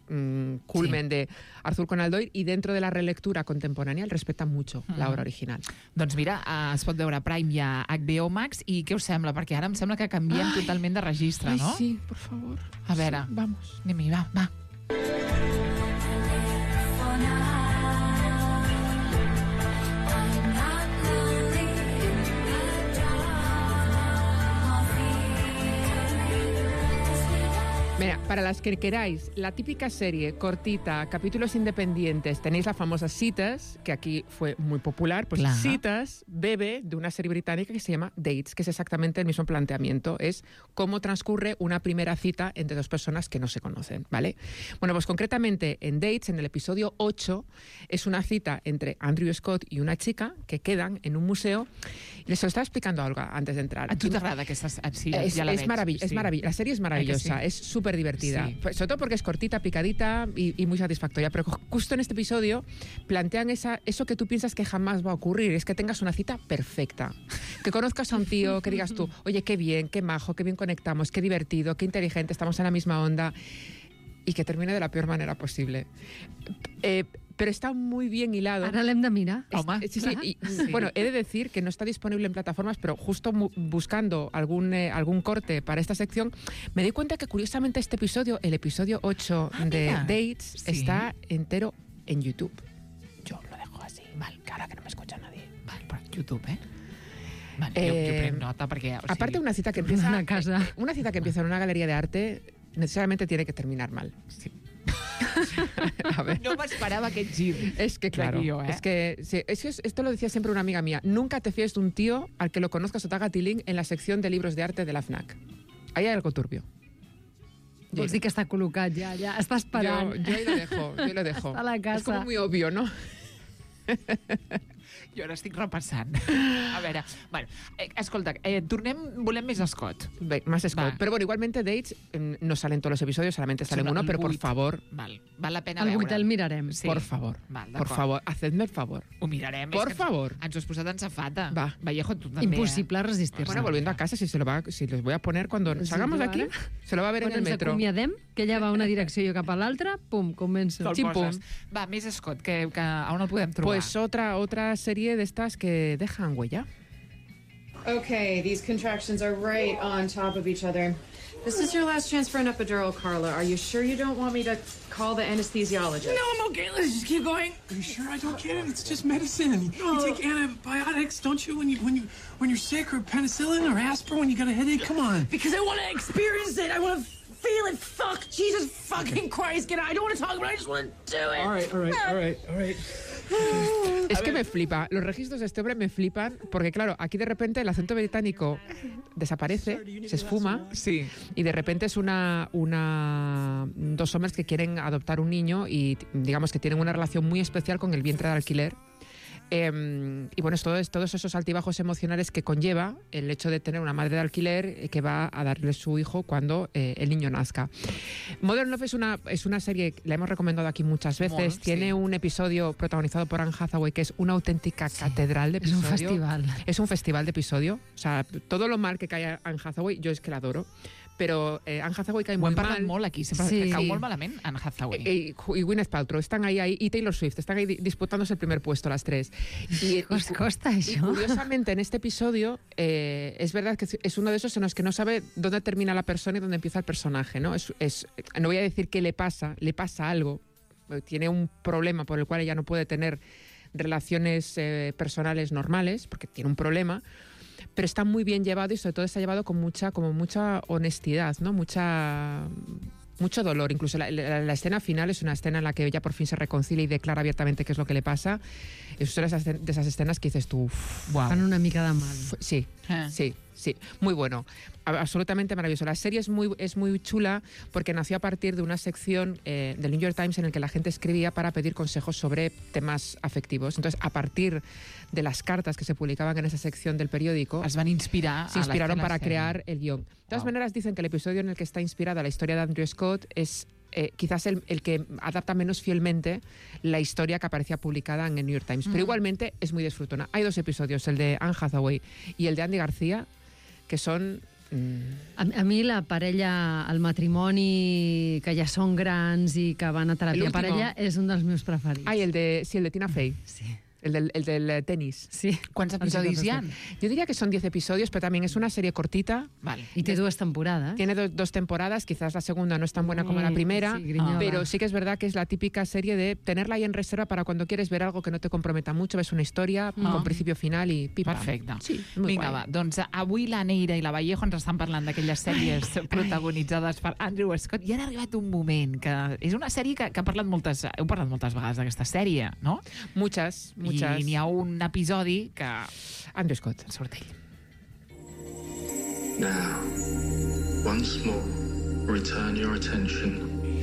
culmen de Arthur Conan Doyle, y dentro de la relectura contemporánea respeta mucho la obra original. Doncs mira, es pot veure a Prime i a HBO Max, i què us sembla? Perquè ara em sembla que canviem totalment de registre, no? Sí, por favor. A veure, sí, vamos. Anem-hi, va. Mira, para las que queráis, la típica serie cortita, capítulos independientes, tenéis la famosa Citas, que aquí fue muy popular, pues claro. Citas bebe de una serie británica que se llama Dates, que es exactamente el mismo planteamiento, es cómo transcurre una primera cita entre dos personas que no se conocen, ¿vale? Bueno, pues concretamente en Dates, en el episodio 8, es una cita entre Andrew Scott y una chica que quedan en un museo. Y les lo estaba explicando a Olga antes de entrar. A tu t'agrada aquesta... Sí, es ja la veig. Es maravillosa, la serie es maravillosa, es súper divertida. divertida. Sí. Sobre todo porque es cortita, picadita y muy satisfactoria. Pero justo en este episodio plantean eso que tú piensas que jamás va a ocurrir. Es que tengas una cita perfecta. Que conozcas a un tío, que digas tú, oye, qué bien, qué majo, qué bien conectamos, qué divertido, qué inteligente, estamos en la misma onda. Y que termine de la peor manera posible. Pero está muy bien hilado. Ara l'hem de mirar. Home. Sí. Bueno, he de decir que no está disponible en plataformas, pero justo buscando algún corte para esta sección, me di cuenta que curiosamente este episodio, el episodio 8 de mira. Dates, Sí. está entero en YouTube. Yo lo dejo así, mal, cara que no me escucha nadie. Vale, per YouTube, Vale, jo prenc nota perquè... O sigui, Aparte, una cita que empieza Una casa. una cita que empieza en una galería de arte necesariamente tiene que terminar mal. Sí. A ver. No m'esperava aquest gir. Es que claro, de guió, es que esto lo decía siempre una amiga mía. Nunca te fíes de un tío al que lo conozcas o te haga tiling en la sección de libros de arte de la FNAC. Ahí hay algo turbio. Vols dir que està col·locat ja està esperant. Yo ahí lo dejo, Està a la casa. Es como muy obvio, ¿no? Jo ara estic repassant. A veure, bueno, escolta, volem més Scott. Más Scott. Va. Pero bueno, igualmente Dates no salen todos los episodios, solamente salen uno, pero por favor, Val la pena El veure. 8 el mirarem. Sí. por favor, Val, por d'acord. favor, hacedme el favor. Ho mirarem. Por És que favor. Ens ho has posat en safata. Va. Vallejo, tu també. Impossible resistir-se. Bueno, volviendo a casa, si les voy a poner cuando salgamos de aquí, se lo va a ver en Quan el ens metro. acomiadem, que ella va a una direcció i jo cap a l'altra, pum, començo. Te'l Xim-pum. poses. Va, més Scott, que on el podem trobar? Pues otra serie de estas que dejan huella. Okay, these contractions are right on top of each other. This is your last chance for an epidural, Carla. Are you sure you don't want me to call the anesthesiologist? No, I'm okay. Let's just keep going. Are you sure I don't get it? It's just medicine. You take antibiotics, don't you, when you're sick, or penicillin or aspirin when you got a headache? Come on. Because I want to experience it. I want to feel it. Fuck, Jesus fucking Christ. I don't want to talk about it. I just want to do it. All right. Es que me flipa. Los registros de este hombre me flipan porque, claro, aquí de repente el acento británico desaparece, se esfuma, Sí. y de repente es dos hombres que quieren adoptar un niño y digamos que tienen una relación muy especial con el vientre de alquiler. Y bueno, es todos esos altibajos emocionales que conlleva el hecho de tener una madre de alquiler que va a darle su hijo cuando el niño nazca. Modern Love es una serie, la hemos recomendado aquí muchas veces. Tiene un episodio protagonizado por Anne Hathaway que es una auténtica catedral de episodio. Es un festival. Es un festival de episodio. O sea, todo lo mal que cae a Anne Hathaway, yo es que la adoro. Pero Anne Hathaway cae Ho muy hem parlat mal. molt aquí, sempre Sí. que cau molt malament Anne Hathaway. Y Gwyneth Paltrow están ahí, y Taylor Swift están ahí disputándose el primer puesto las tres. Costa Y això. curiosamente en este episodio es verdad que es uno de esos en los que no sabe dónde termina la persona y dónde empieza el personaje, ¿no? No voy a decir qué le pasa algo, tiene un problema por el cual ella no puede tener relaciones personales normales porque tiene un problema. Pero está muy bien llevado y sobre todo está llevado con mucha honestidad, ¿no? Mucho dolor. Incluso la escena final es una escena en la que ella por fin se reconcilia y declara abiertamente qué es lo que le pasa. Es una de esas escenas que dices tú... Wow. Fan una mica de mal. Sí, sí. Muy bueno. Absolutamente maravilloso. La serie es muy chula porque nació a partir de una sección del New York Times en el que la gente escribía para pedir consejos sobre temas afectivos. Entonces, a partir de las cartas que se publicaban en esa sección del periódico, Es van inspirar se inspiraron a la para sèrie. crear el guión. De todas maneras, dicen que el episodio en el que está inspirada la historia de Andrew Scott es quizás el que adapta menos fielmente la historia que aparecía publicada en el New York Times. Pero igualmente es muy disfrutona. Hay dos episodios, el de Anne Hathaway y el de Andy García, que són... A mi la parella, el matrimoni, que ja són grans i que van a teràpia parella, és un dels meus preferits. Ai, el de Tina Fey. Sí. El del tenis. Sí. ¿Cuántos episodios hi ha? Yo diría que son 10 episodios, pero también es una serie cortita. Vale. Y té dues temporades. Tiene dos temporadas, quizás la segunda no es tan buena como la primera, sí, grinyola. pero sí que es verdad que es la típica serie de tenerla ahí en reserva para cuando quieres ver algo que no te comprometa mucho, ves una historia con principio, final i pim-pam. Perfecte. Sí, muy Vinga, guai. va. Doncs avui la Neira i la Vallejo ens estan parlant d'aquelles sèries protagonitzades per Andrew Scott i ara ha arribat un moment que és una sèrie que heu parlat moltes vegades d'aquesta sèrie, no? Muchas. I n'hi ha un episodi que... Andrew Scott. Surt ell. Now, once more, return your attention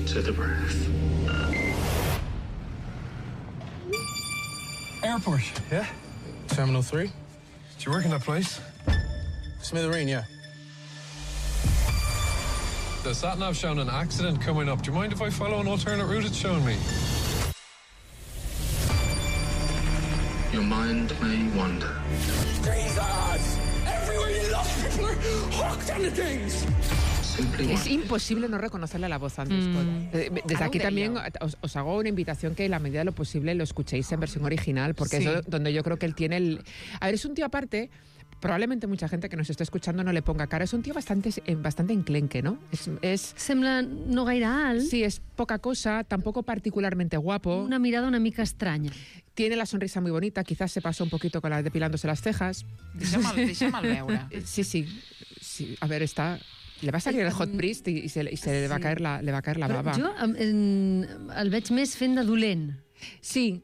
to the breath. Airport. Yeah? Terminal 3? Do you work in that place? Smithereen, yeah. The sat-nav's showing an accident coming up. Do you mind if I follow an alternate route it's showing me? Your mind may wander. Jesus! Everywhere you look, people are hooked on the things. Es imposible no reconocerle la voz a Andrew Scott. Desde aquí también os hago una invitación que en la medida de lo posible lo escuchéis en versión original, porque es donde yo creo que él tiene el... A ver, es un tío aparte... Probablemente mucha gente que nos esté escuchando no le ponga cara. Es un tío bastante enclenque, ¿no? Sembla no gaire alt. Sí, es poca cosa, tampoco particularmente guapo. Una mirada una mica estranya. Tiene la sonrisa muy bonita, quizás se pasó un poquito con depilándose las cejas. Deixa'm veure. Sí. A ver, le va a salir el hot priest y se le va a caer la baba. Però jo el veig més fent de dolent. Sí,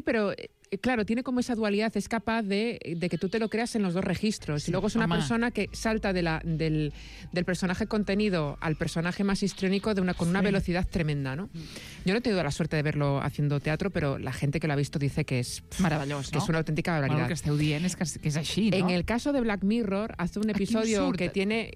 pero... Claro, tiene como esa dualidad, es capaz de que tú te lo creas en los dos registros. Sí, y luego es una persona que salta del personaje contenido al personaje más histriónico con una velocidad tremenda, ¿no? Yo no he tenido la suerte de verlo haciendo teatro, pero la gente que lo ha visto dice que es maravilloso, que es una auténtica barbaridad. Bueno, que esteu dient és que és així, no? En el caso de Black Mirror, hace un episodio que tiene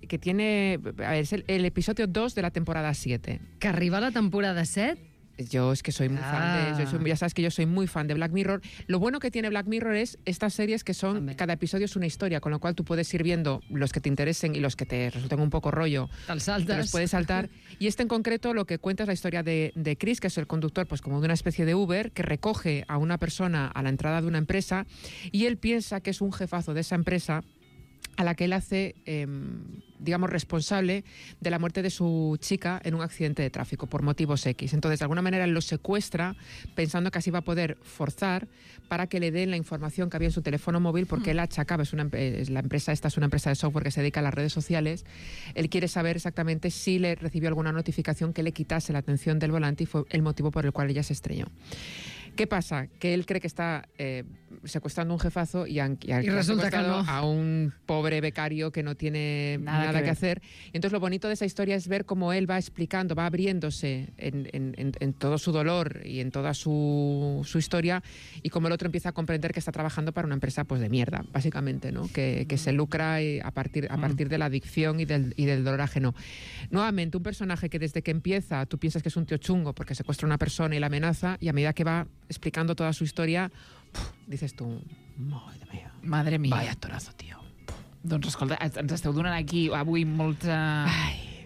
a ver, es el episodio 2 de la temporada 7. Que arriba a la temporada 7? Yo es que soy muy fan ya sabes que yo soy muy fan de Black Mirror. Lo bueno que tiene Black Mirror es estas series que son, cada episodio es una historia, con lo cual tú puedes ir viendo los que te interesen y los que te resulten un poco rollo. Te los puedes saltar. Y este en concreto lo que cuenta es la historia de Chris, que es el conductor, pues como de una especie de Uber, que recoge a una persona a la entrada de una empresa y él piensa que es un jefazo de esa empresa a la que él hace, digamos, responsable de la muerte de su chica en un accidente de tráfico por motivos X. Entonces, de alguna manera, él lo secuestra pensando que así va a poder forzar para que le den la información que había en su teléfono móvil, porque él achacaba, la empresa esta es una empresa de software que se dedica a las redes sociales. Él quiere saber exactamente si le recibió alguna notificación que le quitase la atención del volante y fue el motivo por el cual ella se estrelló. ¿Qué pasa? Que él cree que está secuestrando un jefazo y resulta que no. A un pobre becario que no tiene nada que hacer. Y entonces lo bonito de esa historia es ver cómo él va explicando, va abriéndose en todo su dolor y en toda su historia, y cómo el otro empieza a comprender que está trabajando para una empresa pues de mierda, básicamente, ¿no? Que se lucra a partir de la adicción y del dolor ajeno. Nuevamente, un personaje que desde que empieza tú piensas que es un tío chungo porque secuestra a una persona y la amenaza, y a medida que va explicando toda su historia, dices tú, madre mía. Vaya torazo, tio. Doncs escolta, ens esteu donant aquí avui molta...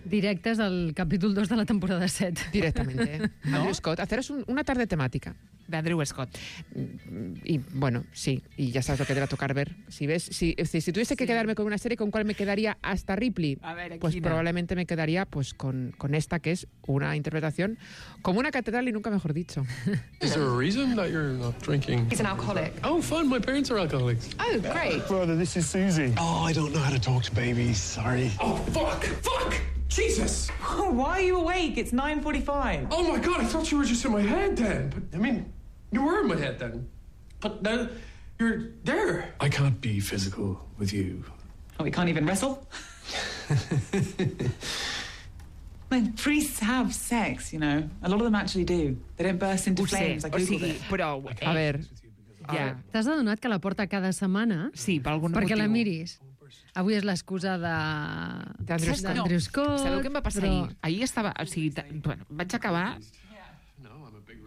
Directes al capítol 2 de la temporada 7. Directamente. ¿No? Andrew Scott, haceros una tarde temática. De Andrew Scott. Y bueno, sí, y ya sabes lo que te va a tocar ver. Si tuviese que quedarme con una serie, ¿con cuál me quedaría hasta Ripley? A ver, pues probablemente me quedaría pues con esta, que es una interpretación como una catedral y nunca mejor dicho. Is there a reason that you're not drinking? He's an alcoholic. Oh, fun. My parents are alcoholics. Oh, great. Brother, this is Susie. Oh, I don't know how to talk to babies. Sorry. Oh, fuck! Jesus! Why are you awake? It's 9:45. Oh my God, I thought you were just in my head then. But, I mean, you were in my head then. But now you're there. I can't be physical with you. Oh, we can't even wrestle? When priests have sex, you know, a lot of them actually do. They don't burst into flames. I googled it. Però... A ver... Ja. T'has adonat que la porta cada setmana? Sí, per algun perquè motiu. La miris. Avui és l'excusa d'Andrew Scott. Sabeu què em va passar ahir? Ahir estava... O sigui, bueno, vaig acabar...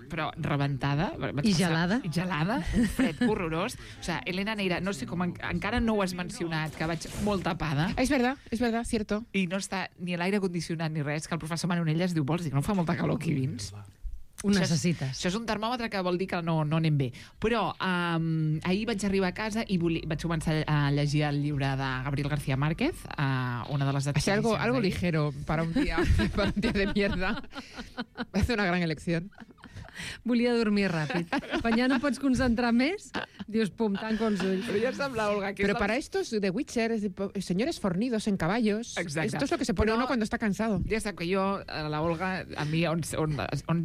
però rebentada. I gelada. I gelada, un fred horrorós. O sea, Elena Neira, no sé com encara no ho has mencionat, que vaig molt tapada. Es verdad, cierto. I no està ni l'aire condicionat ni res, que el professor Manonelles diu, vols dir que no fa molta calor aquí dins? Ho necessites. Això és un termòmetre que vol dir que no anem bé. Però ahir vaig arribar a casa i vaig començar a llegir el llibre de Gabriel García Márquez, una de les adaptacions. Algo ligero para un día de mierda. Va ser una gran elecció. Volia dormir ràpid. Quan ja no pots concentrar més, dius, pum, tanco els ulls. Però ja sembla, Olga, que... Pero para estos de Witcher, señores fornidos en caballos, exacte. Esto es lo que se pone uno cuando está cansado. Ja sap que jo, la Olga, a mi, on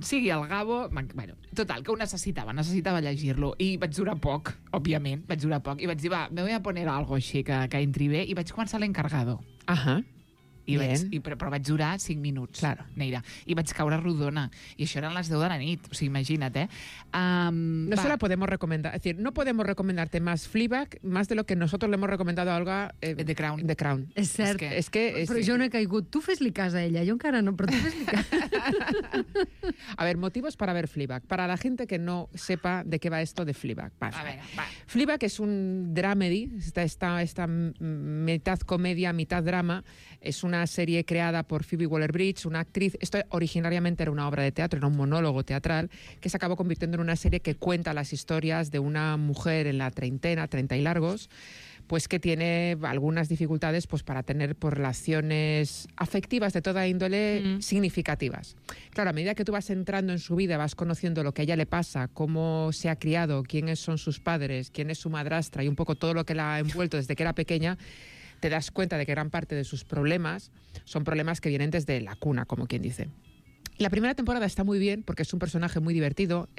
sigui el Gabo... Bueno, total, que ho necessitava llegir-lo. I vaig durar poc, òbviament, I vaig dir, va, me voy a poner algo així que entri bé, i vaig començar l'Encargado. Ahà. Però vaig durar 5 minuts, Neira. I vaig caure rodona. I això eren les 10 de la nit. O sigui, imagina't, No se la podemos recomendar. Es decir, no podemos recomendarte más Fleabag, más de lo que nosotros le hemos recomendado a Olga The Crown. The Crown. És cert. Però jo no he caigut. Tu fes-li cas a ella. Jo encara no, però tu fes-li cas. A ver, motivos para ver Fleabag. Para la gente que no sepa de qué va esto de Fleabag. Fleabag es un dramedy, esta mitad comedia, mitad drama. Es una serie creada por Phoebe Waller-Bridge, una actriz. Esto originariamente era una obra de teatro, era un monólogo teatral, que se acabó convirtiendo en una serie que cuenta las historias de una mujer en la treintena, 30 y largos, pues que tiene algunas dificultades pues para tener relaciones afectivas de toda índole significativas. Claro, a medida que tú vas entrando en su vida, vas conociendo lo que a ella le pasa, cómo se ha criado, quiénes son sus padres, quién es su madrastra y un poco todo lo que la ha envuelto desde que era pequeña, te das cuenta de que gran parte de sus problemas son problemas que vienen desde la cuna, como quien dice. La primera temporada está muy bien porque es un personaje muy divertido,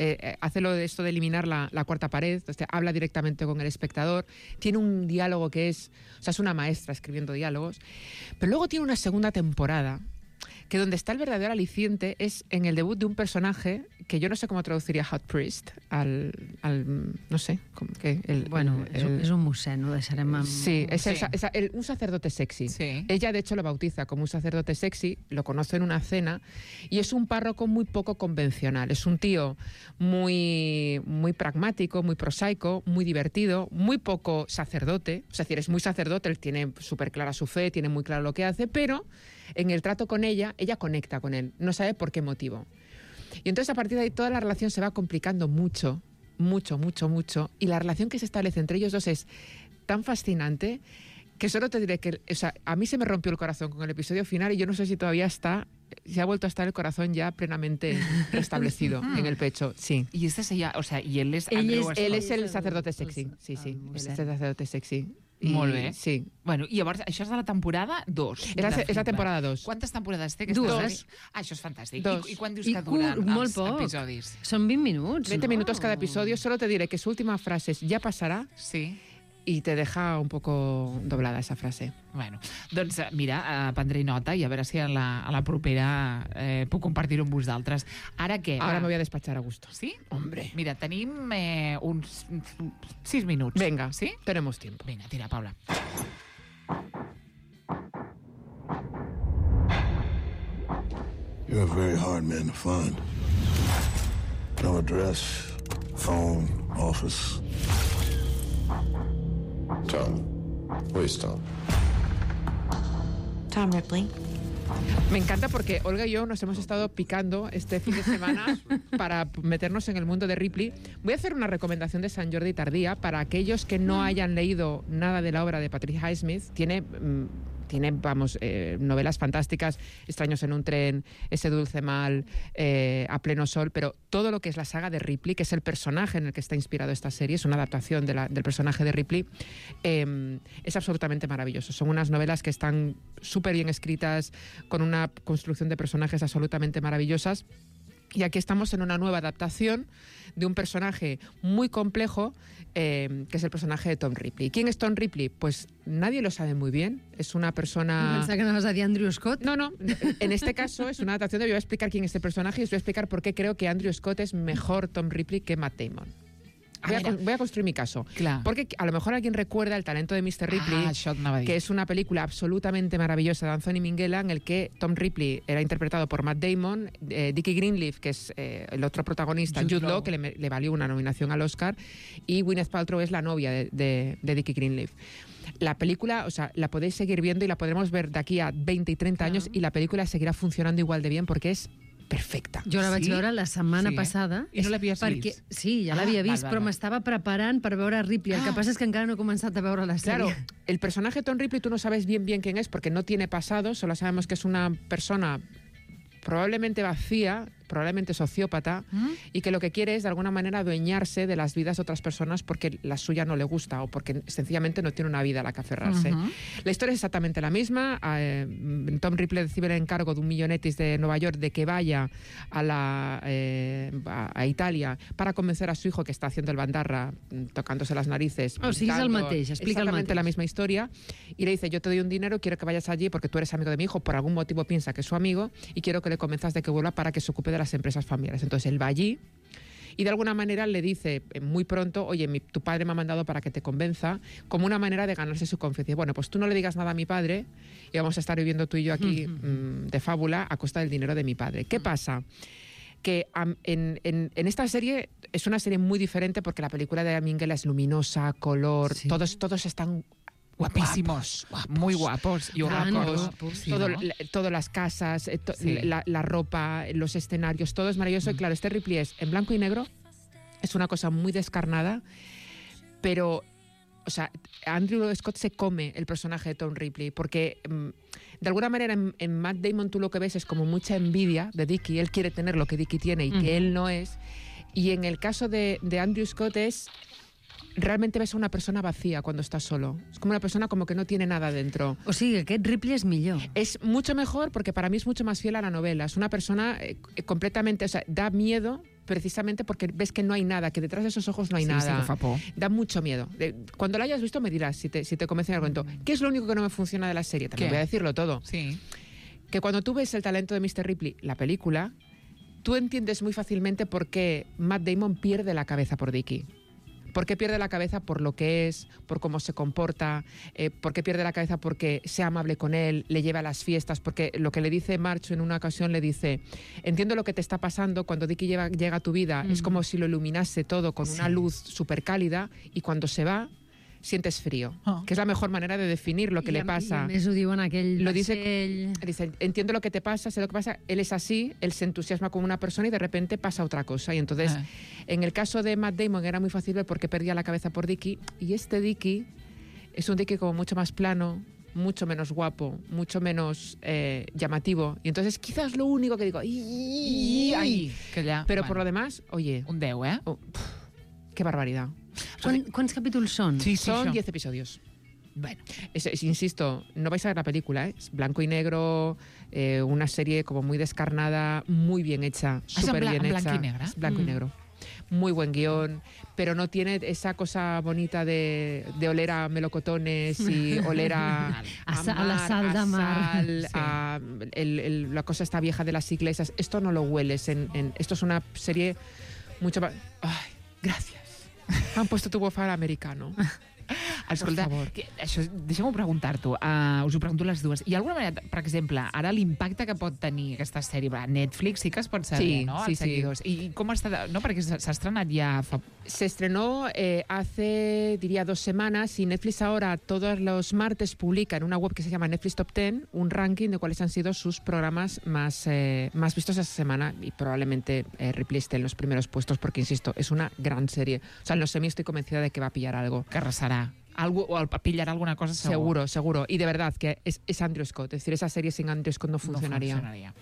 hace esto de eliminar la cuarta pared, habla directamente con el espectador, tiene un diálogo que es una maestra escribiendo diálogos, pero luego tiene una segunda temporada que donde está el verdadero aliciente es en el debut de un personaje que yo no sé cómo traduciría Hot Priest no sé, és un mossèn, ho deixarem amb... Sí, un sacerdote sexy. Sí. Ella de hecho lo bautiza como un sacerdote sexy, lo conoce en una cena y es un párroco muy poco convencional, es un tío muy pragmático, muy prosaico, muy divertido, muy poco sacerdote, es decir, es muy sacerdote, él tiene súper clara su fe, tiene muy claro lo que hace, pero en el trato con ella conecta con él, no sabe por qué motivo. Y entonces a partir de ahí toda la relación se va complicando mucho, y la relación que se establece entre ellos dos es tan fascinante que solo te diré que, a mí se me rompió el corazón con el episodio final y yo no sé si todavía se ha vuelto a estar el corazón ya plenamente restablecido en el pecho, sí. Y este y él es él es el sacerdote sexy, sí, él es el sacerdote sexy. Molt bé. Sí. Bueno, i llavors, això és de la temporada 2. És la temporada 2. Quantes temporades té? Dues. Això és fantàstic. I quan dius que duren els episodis? Són 20 minuts. 20 minutos cada episodio. Solo te diré que su última frase es «ya pasará». Sí. Y te deja un poco doblada esa frase. Bueno, doncs mira, prendré nota i a veure si a la propera puc compartir-ho amb vosaltres. Ara què? Ahora me voy a despachar a gusto. ¿Sí? Hombre. Mira, tenim uns 6 minuts. Venga, ¿sí? Tenemos tiempo. Vinga, tira, Paula. You're a very hard man to find. No address, phone, office. Tom. Where's Tom? Tom Ripley. Me encanta porque Olga y yo nos hemos estado picando este fin de semana para meternos en el mundo de Ripley. Voy a hacer una recomendación de Sant Jordi tardía para aquellos que no hayan leído nada de la obra de Patricia Highsmith. Tiene novelas fantásticas, Extraños en un tren, Ese dulce mal, A pleno sol, pero todo lo que es la saga de Ripley, que es el personaje en el que está inspirado esta serie, es una adaptación del personaje de Ripley, es absolutamente maravilloso. Son unas novelas que están súper bien escritas, con una construcción de personajes absolutamente maravillosas. Y aquí estamos en una nueva adaptación de un personaje muy complejo, que es el personaje de Tom Ripley. ¿Quién es Tom Ripley? Pues nadie lo sabe muy bien. Es una persona... Pensaba que no vas a decir Andrew Scott. No. En este caso es una adaptación de... Yo voy a explicar quién es este personaje y os voy a explicar por qué creo que Andrew Scott es mejor Tom Ripley que Matt Damon. Voy a construir mi caso. Clar. Porque a lo mejor alguien recuerda El talento de Mr. Ripley, que es una película absolutamente maravillosa de Anthony Minghella, en el que Tom Ripley era interpretado por Matt Damon, Dickie Greenleaf, que es el otro protagonista, Jude Law, que le valió una nominación al Oscar, y Gwyneth Paltrow es la novia de Dickie Greenleaf. La película, la podéis seguir viendo y la podremos ver de aquí a 20 y 30 años y la película seguirá funcionando igual de bien porque es perfecta. Jo la vaig veure la setmana passada. I no l'havies vist? Sí, ja l'havia vist, però m'estava preparant per veure Ripley. El que passa és que encara no he començat a veure la sèrie. Claro, el personaje Tom Ripley tú no sabes bien quién es porque no tiene pasado, solo sabemos que es una persona probablemente vacía, probablemente sociópata, y que lo que quiere es, de alguna manera, adueñarse de las vidas de otras personas porque la suya no le gusta o porque sencillamente no tiene una vida a la que aferrarse. La historia es exactamente la misma. Tom Ripley recibe el encargo de un millonetis de Nueva York de que vaya a Italia para convencer a su hijo, que está haciendo el bandarra, tocándose las narices. Sí, és el mateix, explica el exactamente mateix. la misma historia, y le dice: yo te doy un dinero, quiero que vayas allí porque tú eres amigo de mi hijo, por algún motivo piensa que es su amigo, y quiero que le convenzas de que vuelva para que se ocupe de las empresas familiares. Entonces él va allí y de alguna manera le dice muy pronto: oye, tu padre me ha mandado para que te convenza, como una manera de ganarse su confianza. Bueno, pues tú no le digas nada a mi padre y vamos a estar viviendo tú y yo aquí de fábula a costa del dinero de mi padre. ¿Qué pasa? Que en esta serie es una serie muy diferente porque la película de Minghella es luminosa, color, todos están guapísimos, muy guapos y guapos, todas las casas, la ropa, los escenarios, todo es maravilloso. Y claro, este Ripley es en blanco y negro, es una cosa muy descarnada, pero, o sea, Andrew Scott se come el personaje de Tom Ripley porque de alguna manera en Matt Damon tú lo que ves es como mucha envidia de Dickie. Él quiere tener lo que Dickie tiene y que él no es. Y en el caso de Andrew Scott realmente ves a una persona vacía cuando estás solo. Es como una persona como que no tiene nada dentro. O sigui, aquest Ripley és millor. Es mucho mejor porque para mí es mucho más fiel a la novela. Es una persona completamente... O sea, da miedo precisamente porque ves que no hay nada, que detrás de esos ojos no hay nada. Sí, que fa por. Da mucho miedo. Cuando lo hayas visto me dirás, si te convence en el cuento. ¿Qué es lo único que no me funciona de la serie? También voy a decirlo todo. Sí. Que cuando tú ves el talento de Mr. Ripley, la película, tú entiendes muy fácilmente por qué Matt Damon pierde la cabeza por Dickie. ¿Por qué pierde la cabeza? Por lo que es, por cómo se comporta, por qué pierde la cabeza porque sea amable con él, le lleva a las fiestas, porque lo que le dice Marcho en una ocasión le dice: entiendo lo que te está pasando, cuando Dickie llega a tu vida es como si lo iluminase todo con una luz súper cálida, y cuando se va sientes frío, que es la mejor manera de definir lo que le pasa. I a més ho diuen aquell lo dice, entiendo lo que te pasa, sé lo que pasa, él es así, él se entusiasma con una persona y de repente pasa otra cosa. Y entonces, en el caso de Matt Damon era muy fácil ver por qué perdía la cabeza por Dickie, y este Dickie es un Dickie como mucho más plano, mucho menos guapo, mucho menos llamativo. Y entonces quizás lo único que digo, que ya, pero por lo demás, oye, un 10, ¿eh? Qué barbaridad. ¿Cuántos capítulos son? Sí, son 10 episodios. Bueno, insisto, no vais a ver la película, es blanco y negro, una serie como muy descarnada, muy bien hecha, súper bien hecha. ¿Blanco y negro? Blanco y negro. Muy buen guión, pero no tiene esa cosa bonita de oler a melocotones y oler a la sal de mar. La cosa esta vieja de las iglesias. Esto no lo hueles. Esto es una serie mucho más... Ay, gracias. Han puesto tu bufar americano. Escolta, deixa'm-ho preguntar-t'ho. Us ho pregunto les dues. Hi ha alguna manera, per exemple, ara l'impacte que pot tenir aquesta sèrie? Netflix sí que es pot saber, ¿no? Sí, els seguidors. I com està... No, perquè s'ha estrenat ja fa... Se estrenó hace, diría, 2 semanas, y Netflix ahora todos los martes publica en una web que se llama Netflix Top 10 un ranking de cuáles han sido sus programas más vistos esa semana, y probablemente Ripley esté en los primeros puestos porque, insisto, es una gran serie. O sea, en los semi estoy convencida de que va a pillar algo. Que arrasarà. Algo, o pillarà alguna cosa segur. Seguro. Y de verdad que es Andrew Scott. Es decir, esa serie sin Andrew Scott no funcionaría. No funcionaria.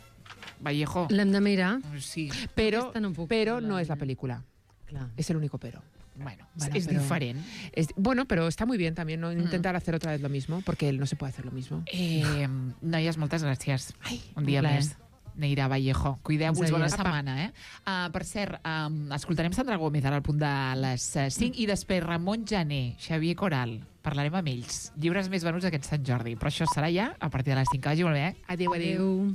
Vallejo. L'hem de mirar. Sí. Pero no es la película. Clar. Es el único pero. Bueno, es diferent. Bueno, pero está muy bien también no intentar hacer otra vez lo mismo, porque él no se puede hacer lo mismo. Noies, moltes gràcies. Un dia més. Neira Vallejo. Cuideu-vos, bona setmana, eh? Per cert, escoltarem Sandra Gómez ara al punt de les 5 i després Ramon Jané, Xavier Coral. Parlarem amb ells. Llibres més venuts aquest Sant Jordi. Però això serà ja a partir de les 5. Que vagi molt bé, eh? Adéu.